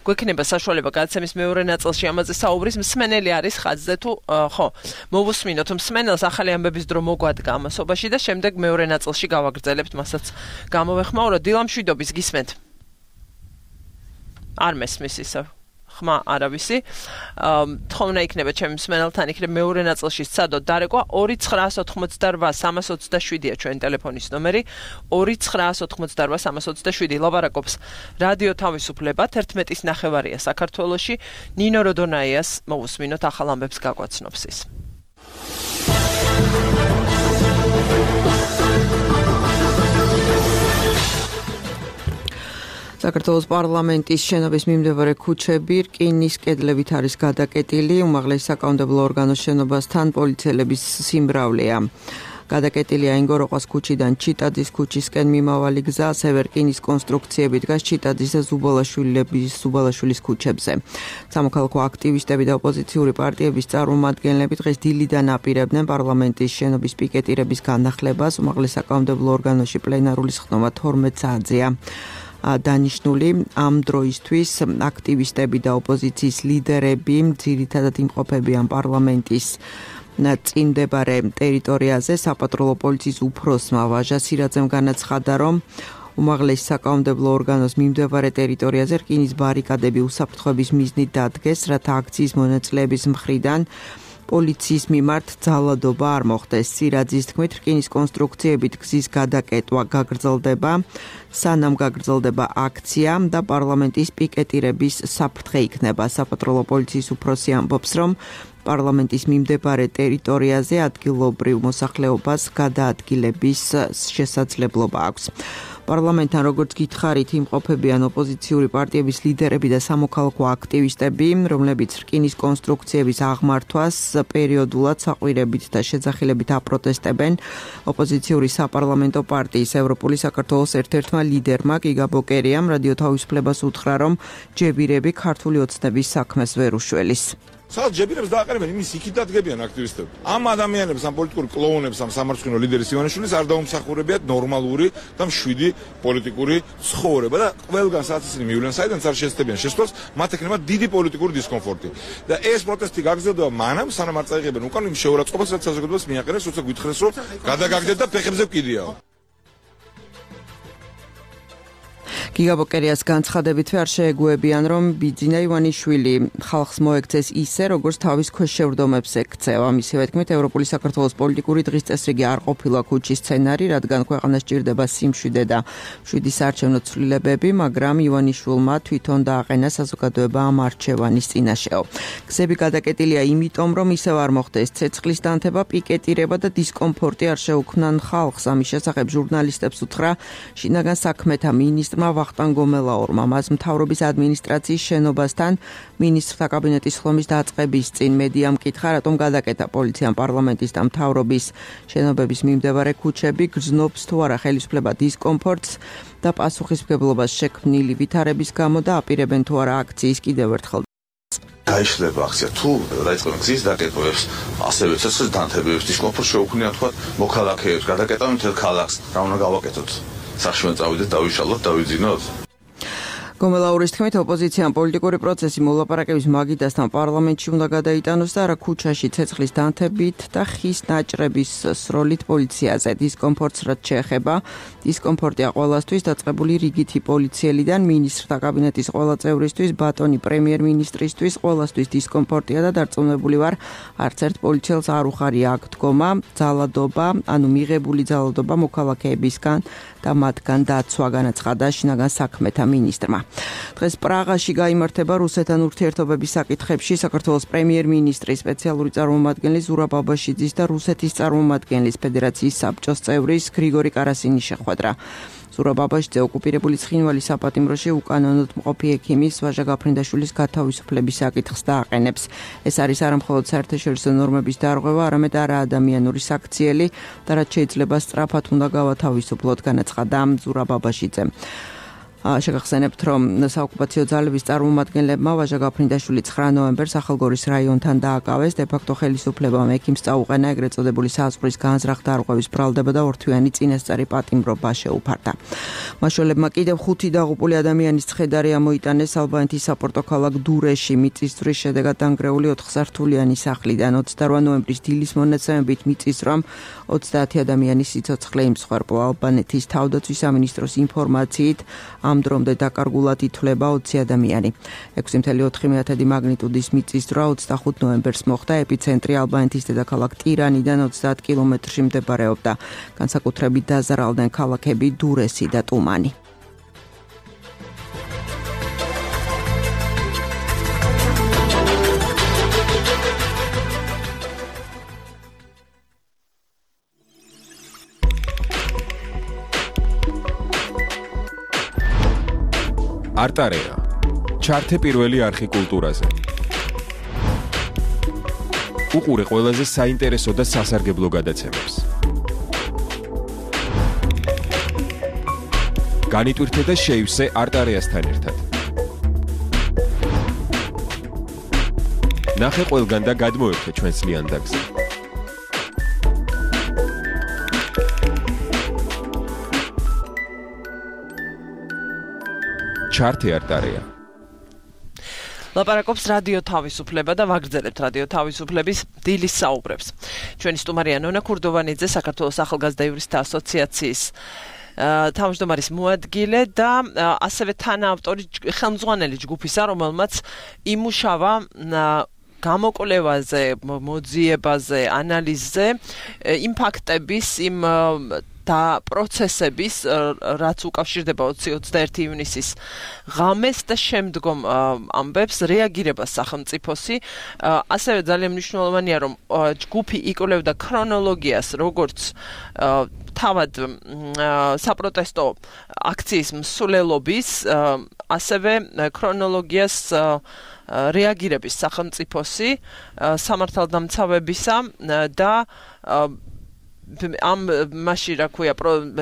გვექნება საშუალება გადაცემის მეორე ნაწილში ამაზე საუბრის, მსმენელი არის ხაზზე თუ ხო, მოვუსმინოთ მსმენელს ახალი ამბების დრო მოგვადგა ამასობაში და შემდეგ მეორე ნაწილში გავაგრძელებთ, მასაც გამოვეხმაურო. დილა მშვიდობის გისმენთ. არ მესმის ისევ. ხმა არავისი. თხოვნა იქნება ჩემი მსმენელთან იქნება მეორე ნაწილში სცადოთ დარეკვა ორი ცხრაას ოთხმოცდარვა სამას ოცდაშვიდია ჩვენ ტელეფონის ნომერი ორი ცხრაას ოთხმოცდარვა სამას ოცდაშვიდი ლაპარაკობს რადიო თავისუფლება თერთმეტის ნახევარია საქართველოში ნინო როდონაიას მოვუსმინოთ ახალ ამბებს გაგვაცნობს ის. საქართველოს პარლამენტის შენობის მიმდებარე ქუჩები რკინის კედლებით არის გადაკეტილი, უმაღლესი საკანონმდებლო ორგანოს შენობასთან პოლიციელების სიმრავლეა. გადაკეტილია ინგოროყვას ქუჩიდან ჩიტაძის ქუჩისკენ მიმავალი გზა, ასევე რკინის კონსტრუქციები დგას ჩიტაძის და ზუბალაშვილების ზუბალაშვილის ქუჩებზე. სამოქალაქო აქტივისტები და ოპოზიციური პარტიების წარმომადგენლები დღეს დილიდან აპირებდნენ პარლამენტის შენობის პიკეტირების განახლებას, უმაღლეს საკანონმდებლო ორგანოში პლენარული სხდომა თორმეტ საათზეა. დანიშნული ამ დროისთვის აქტივისტები და ოპოზიციის ლიდერები ძირითადად იმყოფებიან პარლამენტის წინდებარე ტერიტორიაზე. საპატრულო პოლიციის უფროსმა ვაჟა სირაძემ განაცხადა, რომ უმაღლეს საკანონმდებლო ორგანოს მიმდებარე ტერიტორიაზე რკინის ბარიკადები უსაფრთხოების მიზნით დადგეს, რათა აქციის მონაწილეების მხრიდან პოლიციის მიმართ ძალადობა არ მოხდეს. სირაძის თქმით, რკინის კონსტრუქციებით გზის გადაკეტვა გაგრძელდება, სანამ გაგრძელდება აქცია და პარლამენტის პიკეტირების საფრთხე იქნება. საპატრულო პოლიციის უფროსი ამბობს, რომ პარლამენტის მიმდებარე ტერიტორიაზე ადგილობრივ მოსახლეობას გადაადგილების შესაძლებლობა აქვს. პარლამენტთან როგორც გითხარით იმყოფებიან ოპოზიციური პარტიების ლიდერები და სამოქალაქო აქტივისტები, რომლებიც რკინის კონსტრუქციების აღმართვას პერიოდულად საყვირებით და შეძახილებით აპროტესტებენ. ოპოზიციური საპარლამენტო პარტიის ევროპული საქართველოს ერთ-ერთმა ლიდერმა გიგა ბოკერიამ რადიო თავისუფლებას უთხრა, რომ ჯებირები ქართული ოცნების საქმეს ვერ უშველის. სადაც ჯებირებს დააყენებენ, იმის იქით დადგებიან აქტივისტები. ამ ადამიანებს, ამ პოლიტიკურ კლოუნებს, ამ სამარცხვინო ლიდერის ივანიშვილის არ დაუმსახურებიათ ნორმალური და მშვიდი პოლიტიკური ცხოვრება და ყველგან სადაც ისინი მივლენ, საიდანაც არ შეესწებიან შესვლას, მათ ექნება დიდი პოლიტიკური დისკომფორტი. და ეს პროტესტი გაგრძელდება მანამ, სანამ არ წაიღებენ უკან იმ შეურაცხყოფას, რაც საზოგადოებას მიაყენებს, როცა გითხრეს, რომ გადაგაგდეთ და ფეხებზე ვკიდიაო. გიგა ბოკერიას განცხადებით არ შეეგუებიან, რომ ბიძინა ივანიშვილი ხალხს მოექცეს ისე, როგორც თავის ქვეშ შევრდომებს ექცევა. მისივე თქმით, ევროპული საქართველოს პოლიტიკური დღის წესრიგი არ ყოფილა ქუჩის სცენარი, რადგან ქვეყანას ჭირდება სიმშვიდე და მშვიდი საარჩევნო ცვლილებები, მაგრამ ივანიშვილმა თვითონ დააყენა საზოგადოება ამ არჩევანის წინაშეო. გზები გადაკეტილია იმიტომ, რომ ისევ არ მოხდეს ცეცხლის დანთება, პიკეტირება და დისკომფორტი არ შეუქმნან ხალხს. ამის შესახებ ჟურნალისტებს უთხრა შინაგან საქმეთა მინისტრმა ვახტანგ გომელაურმა. მას მთავრობის ადმინისტრაციის შენობასთან მინისტრთა კაბინეტის ხლომის დაწყების წინ მედიამ კითხა, რატომ გადაკეტა პოლიციამ პარლამენტის და მთავრობის შენობების მიმდებარე ქუჩები, გრძნობს თუ არა ხელისუფლება დისკომფორტს და პასუხისმგებლობას შექმნილი ვითარების გამო და აპირებენ თუ არა აქციის კიდევ ერთხელ გაიშლება აქცია თუ დაიწყებენ გზის დაკეტვებს, ასევე ცეცხლის დანთებებს, დისკომფორტს შეუქმნიან თქვა მოქალაქეებს, გადაკეტავენ მთელ ქალაქს, რა უნდა გავაკეთოთ? სახში წავიდეთ, დავიშალოთ, დავიძინოთ. გომელაურის თქმით, ოპოზიციამ პოლიტიკური პროცესი მოლაპარაკების მაგიდასთან პარლამენტში უნდა გადაიტანოს და არა ქუჩაში ცეცხლის დანთებით და ხის ნაჭრების სროლით პოლიციაზე. დისკომფორტს რაც შეეხება, დისკომფორტია ყველასთვის დაწყებული რიგითი პოლიციელიდან მინისტრთა კაბინეტის ყველა წევრისთვის, ბატონი პრემიერ-მინისტრისთვის, ყველასთვის დისკომფორტია და დარწმუნებული ვარ, არც ერთ პოლიციელს არ უხარია აქ დგომა, ძალადობა, ანუ მიღებული ძალადობა მოქალაქეებისგან და მათგან დაცვა, განაცხადა შინაგან საქმეთა მინისტრმა. დღეს პრაღაში გაიმართება რუსეთთან ურთიერთობების საკითხებში საქართველოს პრემიერ-მინისტრის სპეციალური წარმომადგენლის ზურაბ ბაბაშიძის და რუსეთის წარმომადგენლის ფედერაციის საბჭოს წევრის გრიგორი კარასინის შეხვედრა. ზურაბ ბაბაშიძე ოკუპირებული ცხინვალის საპატიმროში უკანონოდ მყოფი ექიმის ვაჟა გაფრინდაშვილის გათავისუფლების საკითხს დააყენებს. ეს არის არა მხოლოდ საერთაშორისო ნორმების დარღვევა, არამედ არაადამიანური საქციელი და რაც შეიძლება სწრაფად უნდა გავათავისუფლოთ, განაცხადა ზურაბ ბაბაშიძემ. შეგახსენებთ, რომ საოკუპაციო ძალების წარმომადგენლებმა ვაჟა გაფრინდაშვილი ცხრა ნოემბერს ახალგორის რაიონთან დააკავეს, დე-ფაქტო ხელისუფლებამ ექიმს წაუყენა ეგრეთ წოდებული საზღვრის განზრახ დარღვევის ბრალდება და ორთვიანი წინასწარი პატიმრობა შეუფარდა. მაშველებმა კიდევ ხუთი დაღუპული ადამიანის ცხედარი ამოიტანეს ალბანეთის საპორტო ქალაქ დურეში მიწისძვრის შედეგად დანგრეული ოთხსართულიანი სახლიდან. ოცდაორი ნოემბრის დილის მონაცემებით მიწისძვრამ ოცდაათი ადამიანის სიცოცხლე იმსხვერპლა. ალბანეთის თავდაცვის სამინისტროს ინფორმაციით ამ დრომდე დაკარგულად ითვლება ოცი ადამიანი. ექვსი კoma ოთხი მაგნიტუდის მიწისძვრა ოცდახუთ ნოემბერს მოხდა, ეპიცენტრი ალბანეთის დედაქალაქ ტირანიდან ოცდაათ კილომეტრში მდებარეობდა. განსაკუთრებით დაზარალდნენ ქალაქები დურესი და ტუმანი. არტარეა. ჩართე პირველი არხი კულტურაზე. უყურე ყველაზე საინტერესო და სასარგებლო გადაცემებს. განიტვირთე და შეივსე არტარეასთან ერთად. ნახე ყველგან და გადმოერთე ჩვენს ლიანდაგზე. ჩართე არტარეა. ლაპარაკობს რადიო თავისუფლება და ვაგრძელებთ რადიო თავისუფლების დილის საუბრებს. ჩვენი სტუმარია ნონა ქურდოვანიძე, საქართველოს ახალგაზრდა იურისტთა ასოციაციის თავმჯდომარის მოადგილე და ასევე თანაავტორი ხელმძღვანელი ჯგუფისა, რომელმაც იმუშავა გამოკვლევაზე, მოძიებაზე, ანალიზზე, იმ ფაქტების, იმ და პროცესების, რაც უკავშირდება ოცი ოცდაერთი ივნისის ღამეს და შემდგომ ამბებს რეაგირებას სახელმწიფოსი. ასევე ძალიან მნიშვნელოვანია, რომ ჯგუფი იკვლევდა ქრონოლოგიას, როგორც თავად საპროტესტო აქციის მსვლელობის, ასევე ქრონოლოგიას რეაგირების სახელმწიფოსი სამართალდამცავებისა და ამ მასში რა ქვია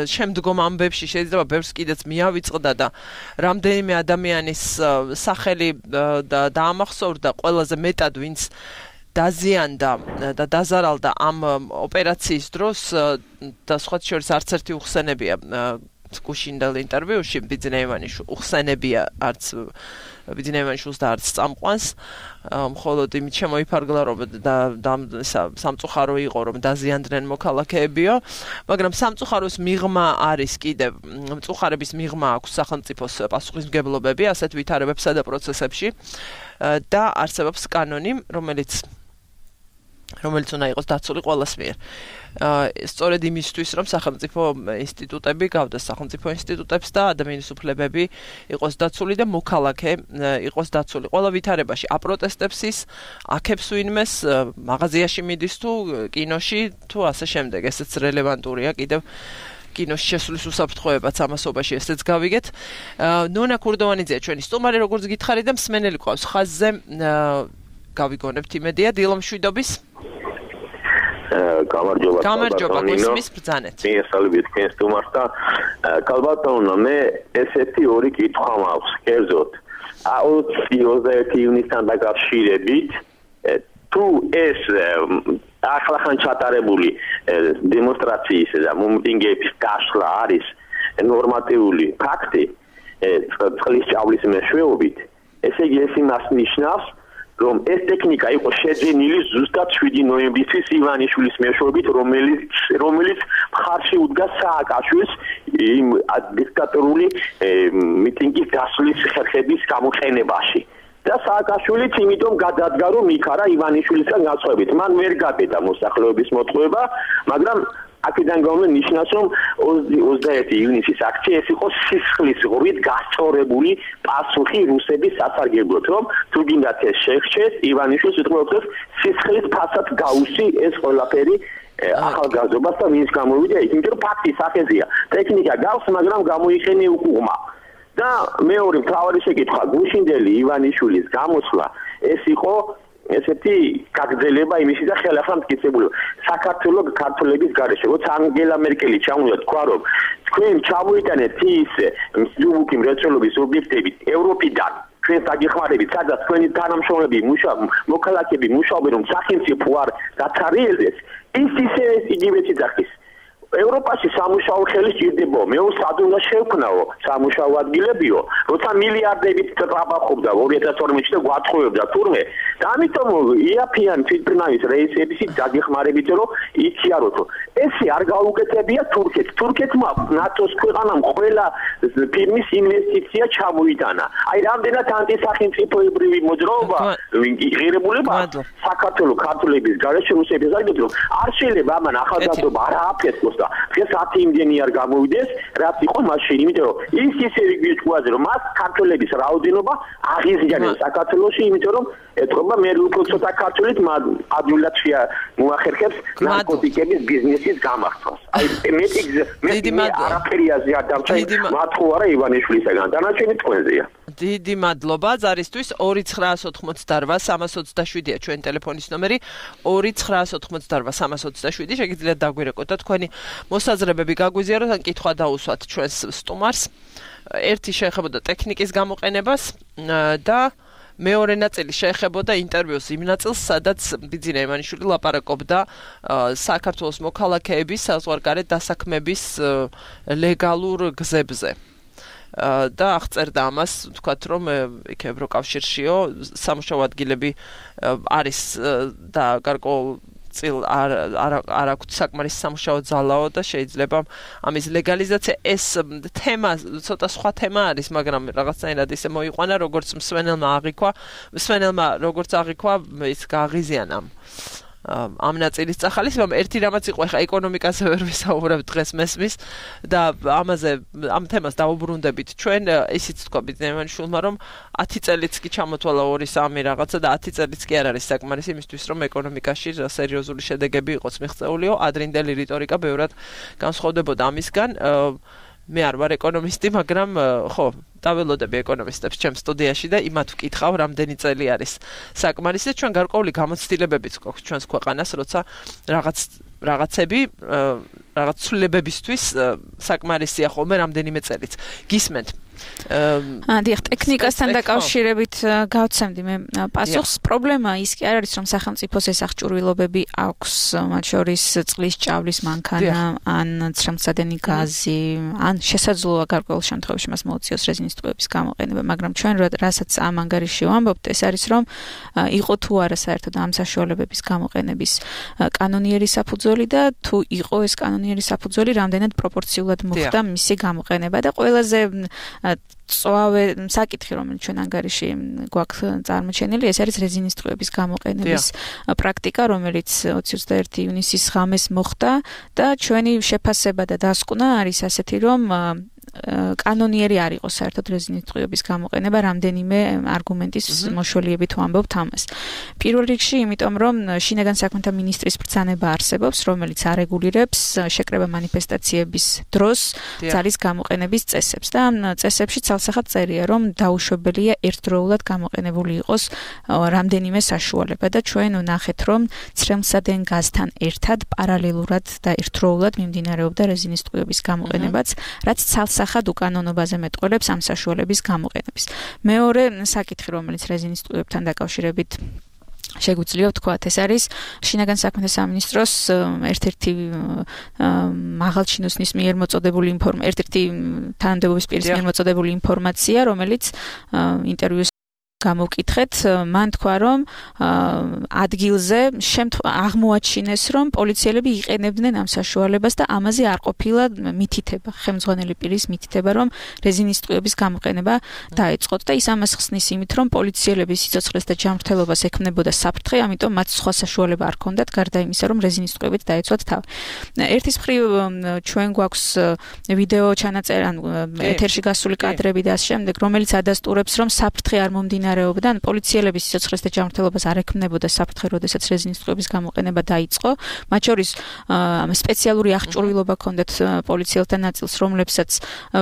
შემდგომ ამბებში შეიძლება ბევრს კიდეც მიავიწყდა და რამდენიმე ადამიანის სახელი და დაამახსოვრდა ყველაზე მეტად ვინც დაზიანდა და დაზარალდა ამ ოპერაციის დროს და სხვა შორის არც ერთი უხსენებია გუშინდელ ინტერვიუში ბიძინეევანიშვილი უხსენებია არც ბიძინეევანიშვილს და არც წამყვანს მხოლოდ იმით შემოიფარგლა რომ და სამწუხარო იყო რომ დაზიანდნენ მოქალაქეებიო, მაგრამ სამწუხაროს მიღმა არის კიდევ მწუხარების მიღმა აქვს სახელმწიფოს პასუხისმგებლობები ასეთ ვითარებებსა და პროცესებში და არსებობს კანონი, რომელიც რომელიც უნდა იყოს დაცული ყველას მიერ. სწორედ იმისთვის, რომ სახელმწიფო ინსტიტუტები გავდეს სახელმწიფო ინსტიტუტებს და ადამიანის უფლებები იყოს დაცული და მოქალაქე იყოს დაცული. ყველა ვითარებაში აპროტესტებს ის, აქებს ვინმეს, მაღაზიაში მიდის თუ კინოში თუ ასე შემდეგ. ესეც რელევანტურია კიდევ კინოში შესulis უსაფრთხოებაც ამასობაში ესეც გავიგეთ. ნონა ქურდოვანიძეა ჩვენი სტუმარი, როგორც გითხარი და მსმენელი ყავს ხაზზე. გავიგონებთ იმედია დილომშვიდობის. გამარჯობა. გამარჯობა, გესმის ბრძანეთ. მიესალმებით თქვენს სტუმარს და კალბატონო, მე ესეთი ორი კითხვა მაქვს, კერძოდ. ოცი ოცდაერთი ივნისთან დაკავშირებით, თუ ეს ახლახან ჩატარებული დემონსტრაციის და მომიტინგეების გასვლა არის ნორმატიული ფაქტი, წყლის ჭავლის მეშვეობით, ესე იგი ეს იმას ნიშნავს, რომ ეს ტექნიკა იყო შეძენილი ზუსტად შვიდი ნოემბრისთვის ივანიშვილის მეშვეობით, რომელიც რომელიც მხარში უდგა სააკაშვილს იმ დიქტატორული მიტინგის დასვლის ხერხების გამოყენებაში. და სააკაშვილიც იმიტომ გადადგა, რომ იქარა ივანიშვილისგან განსხვავებით. მან ვერ გაბედა მოსახლეობის მოტყუება, მაგრამ აქედან გამომდინარე ნიშნავს, რომ ოცდაერთი ივნისის აქცია ეს იყო სისხლის ღრუით გასწორებული პასუხი რუსების სასარგებლოდ, რომ თუ გინდათ ეს შეღჩეს, ივანიშვილს უთხრობთ სისხლის ფასად გაუსი ეს ყველაფერი ახალგაზრდობას და ვინც გამოვიდა იქ, იმიტომ რომ ფაქტი სახეზეა. ტექნიკა გავს, მაგრამ გამოიხენე უკუღმა. და მეორე მთავარი შეკითხვა, გუშინდელი ივანიშვილის გამოსვლა ეს იყო ესეთი გაგრძელება იმისი და ხელახლა მტკიცებული საქართველოს ქართველების გარეშე, როცა ანგელა მერკელი ჩამოვიდა თქვა, რომ თქვენ ჩამოიტანეთ ის მსუბუქი მრეწველობის ობიექტები ევროპიდან თქვენ დაგეხმარებით, სადაც თქვენი თანამშრომლები მუშაობენ, მოქალაქეები მუშაობენ, რომ სახელმწიფო არ დაცარიელდეს, ის ისე იგივე ძახის ევროპაში სამუშაო ხელი სჭირდება, მე სად უნდა შევქნაო სამუშაო ადგილებიო, როცა მილიარდებით ტრაბახობდა ორი ათას ორმოცი და გვათხოვებდა თურმე. და ამიტომ იაფიან თვითმფრინავის რეისებისი დაგეხმარებით, რომ იციაროთო. ესე არ გაუკეთებია თურქეთს. თურქეთმა ნატოს ქვეყანამ ყველა ფირმის ინვესტიცია ჩამოიტანა. აი რამდენად ანტისახელმწიფოებრივი მოძრაობა ღირებულება საქართველოს ქართველების გარეშე რუსების აგეთ, რომ არ შეიძლება ამან ახალგაზრდობა არ ააფეთქოს. დღეს ათი იმდენი არ გამოვიდეს, რაც იყო მაშინ, იმიტომ რომ ის ისე ვიგვიწყუაზე, რომ მას ქართველების რაოდენობა აღიზიანებს საქართველოში, იმიტომ რომ ეთქობა მე უფრო ცოტა ქართველით ადვილად მოახერხებს ნარკოტიკების ბიზნესის გამართვას. აი მე მე არაფერი აზია დამჭა მათ ხო არა ივანიშვილისაგან, დანარჩენი თქვენზეა. დიდი მადლობა ზარისთვის. ორი ცხრაას ოთხმოცდარვა სამას ოცდაშვიდია ჩვენ ტელეფონის ნომერი. ორი ცხრაას ოთხმოცდარვა სამას ოცდაშვიდი შეგიძლიათ დაგვირეკოთ და თქვენი მოსაზრებები გაგვიზიაროთ ან კითხვა დაუსვათ ჩვენს სტუმარს. ერთი შეეხებოდა ტექნიკის გამოყენებას და მეორე ნაწილი შეეხებოდა ინტერვიუს იმ ნაწილს, სადაც ბიძინა ივანიშვილი ლაპარაკობდა საქართველოს მოქალაქეების საზღვარგარეთ დასაქმების ლეგალურ გზებზე. და აღწერდა ამას, ვთქვათ, რომ იქ ევროკავშირშიო სამუშაო ადგილები არის და გარკვეულ წილ არ არ აქვს საკმარის სამუშაო ძალაო და შეიძლება ამის ლეგალიზაცია ეს თემა ცოტა სხვა თემა არის, მაგრამ რაღაცნაირად ისე მოიყვანა, როგორც მსვენელმა აღიქვა, მსვენელმა როგორც აღიქვა, ის გააღიზიანა ამ ნაწილის წახალისებამ. ერთი რამაც იყო, ეხა ეკონომიკაზე ვერ ვისაუბრებ დღეს მესმის და ამაზე ამ თემას დავუბრუნდებით ჩვენ, ისიც თქვა ბიძინა ივანიშვილმა, რომ ათი წელიც კი ჩამოთვალა ორი სამი რაღაცა და ათი წელიც კი არ არის საკმარის იმისთვის, რომ ეკონომიკაში სერიოზული შედეგები იყოს მიღწეულიო. ადრინდელი რიტორიკა ბევრად განსხვავდებოდა ამისგან. მე არ ვარ ეკონომისტი, მაგრამ ხო, დაველოდები ეკონომისტებს ჩემ სტუდიაში და იმათ ვკითხავ, რამდენი წელი არის საკმარისი. ჩვენ გარკვეული გამოცდილებებიც გვაქვს ჩვენს ქვეყანას, როცა რაღაც რაღაცები რაღაც ცვლილებებისთვის საკმარისია ხოლმე რამდენიმე წელიც. გისმენთ? დიახ, ტექნიკასთან დაკავშირებით გავცემდი მე პასუხს. პრობლემა ის კი არ არის, რომ სახელმწიფოს ეს აღჭურვილობები აქვს, მათ შორის წყლის ჭავლის მანქანა, ან ცრემლსადენი გაზი, ან შესაძლოა გარკვეულ შემთხვევაში მას მოუწიოს რეზინის ტყუების გამოყენება, მაგრამ ჩვენ რასაც ამ ანგარიში ვამბობთ, ეს არის, რომ იყო თუ არა საერთოდ ამ საშუალებების გამოყენების კანონიერი საფუძველი და თუ იყო ეს კანონიერი საფუძველი, რამდენად პროპორციულად მოხდა მისი გამოყენება და ყველაზე წვავე საკითხი, რომელიც ჩვენ ანგარიში გვაქვს წარმოჩენილი, ეს არის რეზინის ტყუების გამოყენების პრაქტიკა, რომელიც ოცი ოცდაერთი ივნისის ღამეს მოხდა და ჩვენი შეფასება და დასკვნა არის ასეთი, რომ კანონიერი არ იყო საერთოდ რეზინის ტყუების გამოყენება, რამდენიმე არგუმენტის მოშოლიებით ვამბობთ ამას. პირველ რიგში, იმიტომ რომ შინაგან საქმეთა მინისტრის ბრძანება არსებობს, რომელიც არეგულირებს შეკრება მანიფესტაციების დროს ძალის გამოყენების წესებს და ამ წესებში ცალსახად წერია, რომ დაუშვებელია ერთდროულად გამოყენებული იყოს რამდენიმე საშუალება და ჩვენ ვნახეთ, რომ ცრემლსადენ გაზთან ერთად პარალელურად და ერთდროულად მიმდინარეობდა რეზინის ტყუების გამოყენებაც, რაც სახად უკანონობაზე მეტყველებს ამ საშუალების გამოყენების. მეორე საკითხი, რომელიც რეზინის ტყუებთან დაკავშირებით შეგვიძლია ვთქვათ, ეს არის შინაგან საქმეთა სამინისტროს ერთ-ერთი მაღალჩინოსნის მიერ მოწოდებული ინფორმაცია, ერთ-ერთი თანამდებობის პირის მიერ მოწოდებული ინფორმაცია, რომელიც ინტერვიუს გამოვკითხეთ, მან თქვა, რომ ადგილზე აღმოაჩინეს, რომ პოლიციელები იყენებდნენ ამ საშუალებას და ამაზე არ ყოფილა მითითება, ხელმძღვანელი პირის მითითება, რომ რეზინის ტყუების გამოყენება დაეწყოთ და ის ამას ხსნის იმით, რომ პოლიციელების სიცოცხლეს და ჯანმრთელობას ექმნებოდა საფრთხე, ამიტომ მათ სხვა საშუალება არ ჰქონდათ, გარდა იმისა, რომ რეზინის ტყუებით დაეცვათ თავი. ერთის მხრივ ჩვენ გვაქვს ვიდეო ჩანაწერი, ანუ ეთერში გასული კადრები და ამ შემდეგ, რომელიც ადასტურებს, რომ საფრთხე არ მომდინარეობდა მდინარეობიდან პოლიციელების სიცოცხლეს და ჯანმრთელობას არ ექმნებოდა საფრთხე, როდესაც რეზინის ტყუების გამოყენება დაიწყო. მათ შორის სპეციალური აღჭურვილობა ჰქონდათ პოლიციელთა ნაწილს, რომლებსაც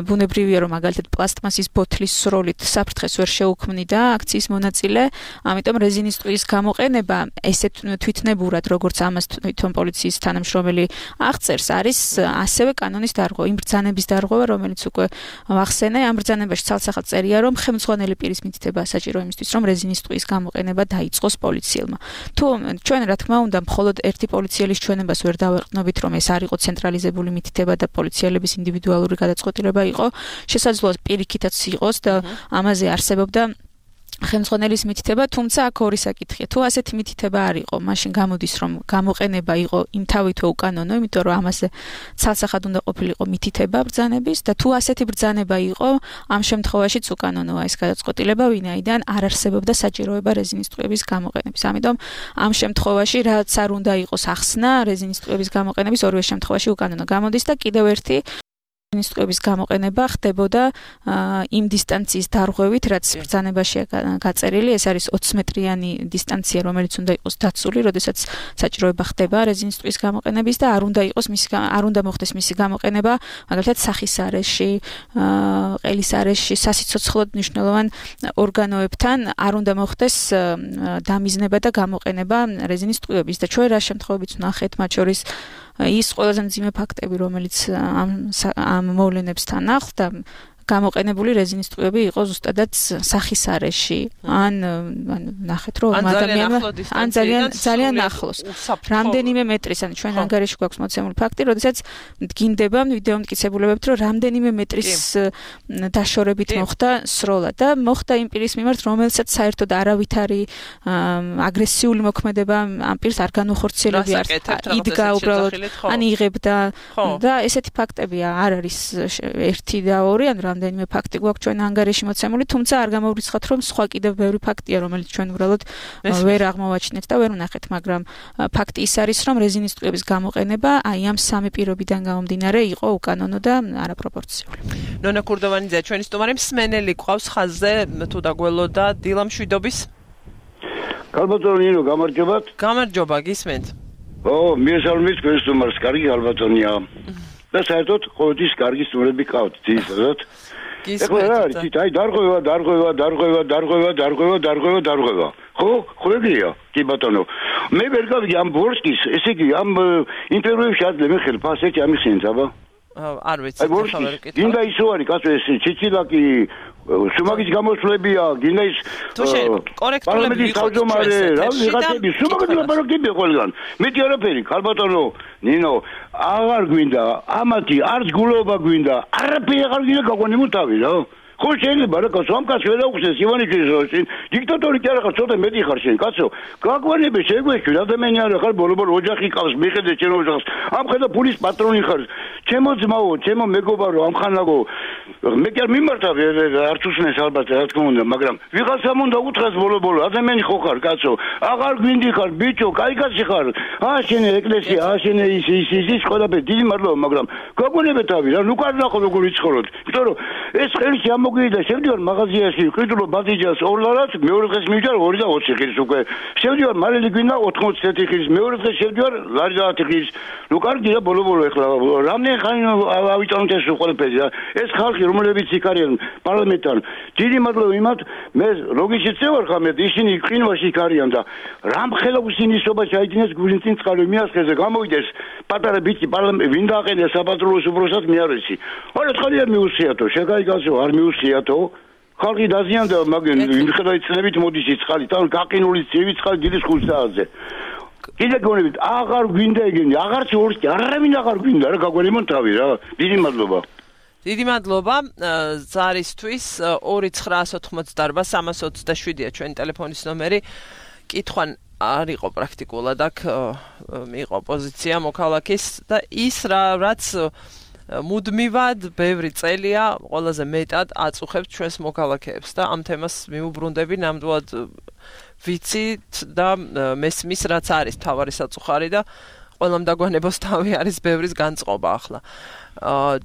ბუნებრივია, რომ მაგალითად პლასტმასის ბოთლის სროლით საფრთხეს ვერ შეუქმნიდა აქციის მონაწილე, ამიტომ რეზინის ტყუის გამოყენება ესე თვითნებურად, როგორც ამას თვითონ პოლიციის თანამშრომელი აღწერს, არის ასევე კანონის დარღვევა, იმ ბრძანების დარღვევა, რომელიც უკვე ვახსენე, ამ ბრძანებაში ცალსახად წერია, რომ ხელმძღვანელი პირის მითითება საჭირო იმისთვის, რომ რეზინის ტყუის გამოყენება დაიწყოს პოლიციელმა. თუ ჩვენ რა თქმა უნდა მხოლოდ ერთი პოლიციელის ჩვენებას ვერ დავეყრდნობით, რომ ეს არ იყო ცენტრალიზებული მითითება და პოლიციელების ინდივიდუალური გადაწყვეტილება იყო, შესაძლოა პირიქითაც იყოს და ამაზე არსებობდა ხელმძღვანელის მითითება, თუმცა აქ ორი საკითხია. თუ ასეთი მითითება არ იყო, მაშინ გამოდის, რომ გამოყენება იყო იმთავითვე უკანონო, იმიტომ რომ ამაზე ცალსახად უნდა ყოფილიყო მითითება ბრძანების და თუ ასეთი ბრძანება იყო, ამ შემთხვევაშიც უკანონოა ეს გადაწყვეტილება, ვინაიდან არ არსებობდა საჭიროება რეზინის ტყუების გამოყენების. ამიტომ ამ შემთხვევაში რაც არ უნდა იყოს ახსნა რეზინის ტყუების გამოყენების ორივე შემთხვევაში უკანონო გამოდის და კიდევ ერთი რეზინის ტყუების გამოყენება ხდებოდა იმ დისტანციის დარღვევით, რაც ბრძანებაშია გაწერილი, ეს არის ოცი მეტრიანი დისტანცია, რომელიც უნდა იყოს დაცული, როდესაც საჭიროება ხდება რეზინის ტყუის გამოყენების და არ უნდა იყოს მისი არ უნდა მოხდეს მისი გამოყენება, მაგალითად სახის არეში, ყელის არეში, სასიცოცხლოდ მნიშვნელოვან ორგანოებთან არ უნდა მოხდეს დამიზნება და გამოყენება რეზინის ტყუების და ჩვენ რა შემთხვევებიც ვნახეთ, მათ შორის ის ყველაზე მძიმე ფაქტები, რომელიც ამ ამ მოვლენებსთან ახლდა და გამოყენებული რეზინის ტყუები იყო ზუსტადად სახის არეში. ან ან ნახეთ რომ ადამიანმა ან ძალიან ძალიან ახლოს. რამდენიმე მეტრის, ან ჩვენ ანგარიში გვაქვს მოცემული ფაქტი, როდესაც დგინდება ვიდეო მტკიცებულებებით, რომ რამდენიმე მეტრის დაშორებით მოხდა სროლა და მოხდა იმ პირის მიმართ, რომელსაც საერთოდ არავითარი აგრესიული მოქმედება ამ პირს არ განუხორციელებია, იდგა უბრალოდ, ან იღებდა და ესეთი ფაქტებია, არ არის ერთი და ორი, ან რამდენიმე ფაქტი გვაქვს ჩვენ ანგარიში მოცემული, თუმცა არ გამოვრიცხავთ, რომ სხვა კიდევ ბევრი ფაქტია, რომელიც ჩვენ უბრალოდ ვერ აღმოვაჩინეთ და ვერ ვნახეთ, მაგრამ ფაქტი ის არის, რომ რეზინის ტყუების გამოყენება აი ამ სამი პირობიდან გამომდინარე იყო უკანონო და არაპროპორციული. ნონა ქურდოვანიძე, ჩვენი სტუმარი მსმენელი ყავს ხაზზე, თუ დაგველოდა დილა მშვიდობის. გალბატონო ნინო, გამარჯობათ. გამარჯობა, გისმენთ. ო, მიესალმებით თქვენ სტუმარს, კარგი გალბატონია. და საერთოდ ყოველთვის კარგი სტუმრები ყავთ, ძირითადად. ეხლა რა არის, აი დარღვევა, დარღვევა, დარღვევა, დარღვევა, დარღვევა, დარღვევა, დარღვევა. ხო, ხო ეგრეა, კი ბატონო. მე ვერ გავიგე ამ ბორსკის, ესე იგი ამ ინტერვიუში ადლე მე ხელ ფასეთი ამიხსენეთ, აბა. არ ვიცი, ხა ვერ ვკითხავ. გინდა ის ვარი, კაცო ეს ჩიჩილაკი სუმაგის გამოსვლებია, გინდა ის კორექტულები იყო ჩვენ. რა ვიღაცები სუმაგის ლაპარაკები ყველგან. მეტი არაფერი, ხალბატონო, ნინო, აღარ გვინდა, ამათი არც გულობა გვინდა, არაფერი აღარ გვინდა გაგვანებო თავი რა. ხო შეიძლება რა კაცო, ამ კაცს ვერ აუხსნეს ივანიშვილის როლში. დიქტატორი კი არა ხარ, ცოტა მეტი ხარ შენ, კაცო. გაგვანები შეგვეშვი, ადამიანი არა ხარ, ბოლო-ბოლო ოჯახი ყავს, მიხედე შენ ოჯახს. ამ ხედა ფულის პატრონი ხარ. ჩემო ძმაო, ჩემო მეგობარო, ამ ხანაგო. მე კი არ მიმართა არც უსმენს ალბათ, რა თქმა უნდა, მაგრამ ვიღაცამ უნდა უთხრას ბოლო-ბოლო, ადამიანი ხო ხარ, კაცო. აღარ გვინდი ხარ, ბიჭო, კაი კაცი ხარ. აა შენ ეკლესია, აა შენ ის ის ის ყველაფერი, დიდი მადლობა, მაგრამ გაგვანები თავი რა, ნუ კარნახო როგორ იცხოვროთ. იმიტომ რომ ეს ხელში ამ მოგიდა შევდივარ მაღაზიაში, ყიდულო ბადიჯას ორ ლარად, მეორე დღეს მივიდა ორი და ოცი ხილის უკვე. შევდივარ მარილი გვინდა ოთხმოცდაათი ხილის, მეორე დღეს შევდივარ ლარი და ათი ხილის. ნუ კარგი რა ბოლო-ბოლო ეხლა რამდენი ხანი ავიტანოთ ეს ყველაფერი რა. ეს ხალხი რომლებიც იქ არიან პარლამენტთან, დიდი მადლობა იმათ, მე ლოგიში წევარ ხამე, ისინი ყინვაში იქ არიან და რამხელა უსინისობა ჩაიდინეს გულინწინ წყალი მიასხეზე გამოვიდეს პატარა ბიჭი პარლამენტ ვინ დააყენია საპატრულოს უბრალოდ მე არ ვიცი. არა წყალი არ მიუსიათო, შეგაიგასო არ მიუსიათო. ხალხი დაზიანდა, მაგრამ იმხედავთ ცნებით მოდის იწყალი, თან გაყინული ცივი წყალი დიდი ხუთსაათზე. კიდე გონებით, აღარ გვინდა ეგენი, აღარც ორს, არავინ აღარ გვინდა რა, გაგვენიმონ თავი რა. დიდი მადლობა. დიდი მადლობა ზარისთვის ორი ცხრაას ოთხმოცდაარბა სამას ოცდაშვიდია ჩვენი ტელეფონის ნომერი. კითხვან არ იყო პრაქტიკულად აქ მიიღო პოზიცია მოქალაქის და ის რა რაც მუდმივად ბევრი წელია ყველაზე მეტად აწუხებს ჩვენს მოქალაქეებს და ამ თემას მიუბრუნდები ნამდვილად ვიცით და მესმის რაც არის თავარი საწუხარი და ყველამ დაგვანებოს თავი არის ბევრის განწყობა ახლა.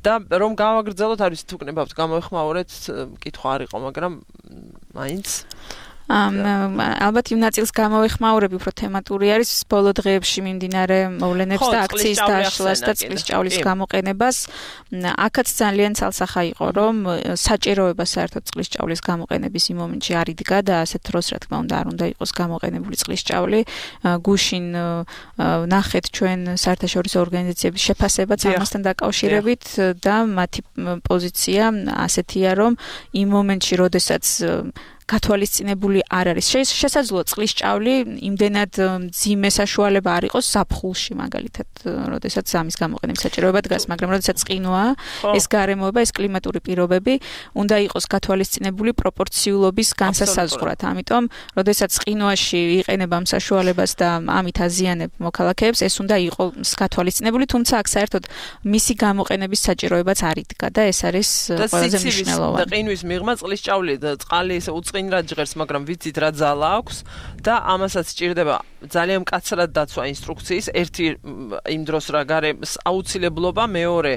და რომ გავაგრძელოთ არის თუ კნებავთ გამოეხმაურეთ კითხვა არ იყო მაგრამ მაინც ალბათ იმ ნაწილს გამოვეხმაურები უფრო თემატური არის ბოლო დღეებში მიმდინარე მოვლენებს და აქციის დაშლას და წყლის ჭაულის გამოყენებას. აქაც ძალიან ცალსახა იყო რომ საჭიროება საერთოდ წყლის ჭაულის გამოყენების იმ მომენტში არ იდგა და ასეთ დროს რა თქმა უნდა არ უნდა იყოს გამოყენებული წყლის ჭაული. გუშინ ნახეთ ჩვენ საერთაშორისო ორგანიზაციების შეფასებაც ამასთან დაკავშირებით და მათი პოზიცია ასეთია რომ იმ მომენტში როდესაც გათვალისწინებული არ არის. შესაძლოა წყლის ჭავლი იმდენად მძიმე საშუალება არ იყოს ზაფხულში მაგალითად, როდესაც ამის გამოყენების საჭიროება დგას, მაგრამ როდესაც ყინვაა, ეს გარემოება, ეს კლიმატური პირობები უნდა იყოს გათვალისწინებული პროპორციულობის განსასაზღვრად. ამიტომ, როდესაც ყინვაში იყენებ ამ საშუალებას და ამით აზიანებ მოქალაქეებს, ეს უნდა იყოს გათვალისწინებული, თუმცა აქ საერთოდ მისი გამოყენების საჭიროებაც არ იდგა და ეს არის ყველაზე მნიშვნელოვანი. და ყინვის მიღმა წყლის ჭავლი და წყალი ისე უწყინრად ჟღერს, მაგრამ ვიცით რა ძალა აქვს და ამასაც სჭირდება ძალიან მკაცრად დაცვა ინსტრუქციის, ერთი იმ დროს რა გარემოს აუცილებლობა, მეორე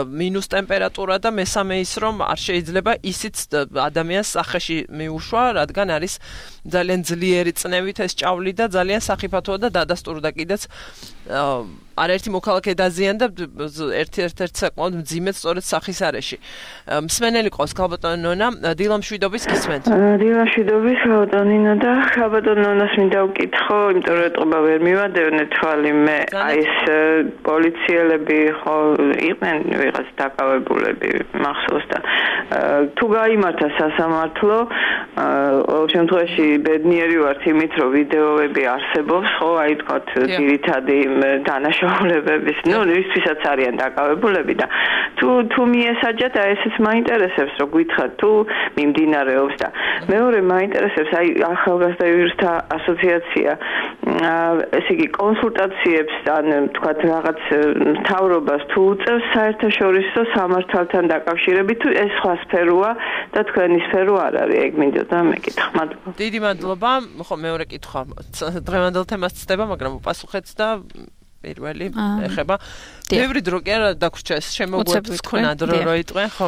მინუს ტემპერატურა და მესამე ის რომ არ შეიძლება ისიც ადამიანს სახეში მიუშვა, რადგან არის ძალიან ძლიერი წნევით ეს ჭავლი და ძალიან სახიფათოა და დადასტურდა კიდეც არაერთი მოქალაქე დაზიანდა ერთ-ერთ საკმაოდ მძიმედ სწორედ სახის არეში. მსმენელი ყავს ქალბატონი ნონა, დილამშვიდობის გისმენთ. დილამშვიდობის ქალბატონინა და ქალბატონ ნონას მინდა ვკითხო, იმიტომ რომ ეტყობა ვერ მივადევნე თვალი მე აი ეს პოლიციელები ხო იყვნენ ვიღაც დაკავებულები მახსოვს და თუ გაიმართა სასამართლო ყოველ შემთხვევაში ბედნიერი ვართ იმით რომ ვიდეოები არსებობს ხო აი თქვათ ძირითადი დანაშაულებების ნუ ისთვისაც არიან დაკავებულები და თუ თუ მიესაჯათ აი ესეც მაინტერესებს რომ გითხრათ თუ მიმდინარეობს და მეორე მაინტერესებს აი ახალგაზრდა იურისტთა ასოციაცია ესე იგი კონსულტაციებს ან თქვათ რაღაც მთავრობას თუ უწევს საერთაშორისო სამართალთან დაკავშირებით თუ ეს სხვა სფეროა და თქვენი სფერო არ არის ეგ მინდოდა მეკითხა მადლობა. დიდი მადლობა. ხო მეორე კითხვა დღევანდელ თემას ცდება მაგრამ უპასუხეთ და პირველი ეხება ბევრი დრო კი არა დაგვრჩა ეს შემოგვეც ქონა დრო რო იტყვენ ხო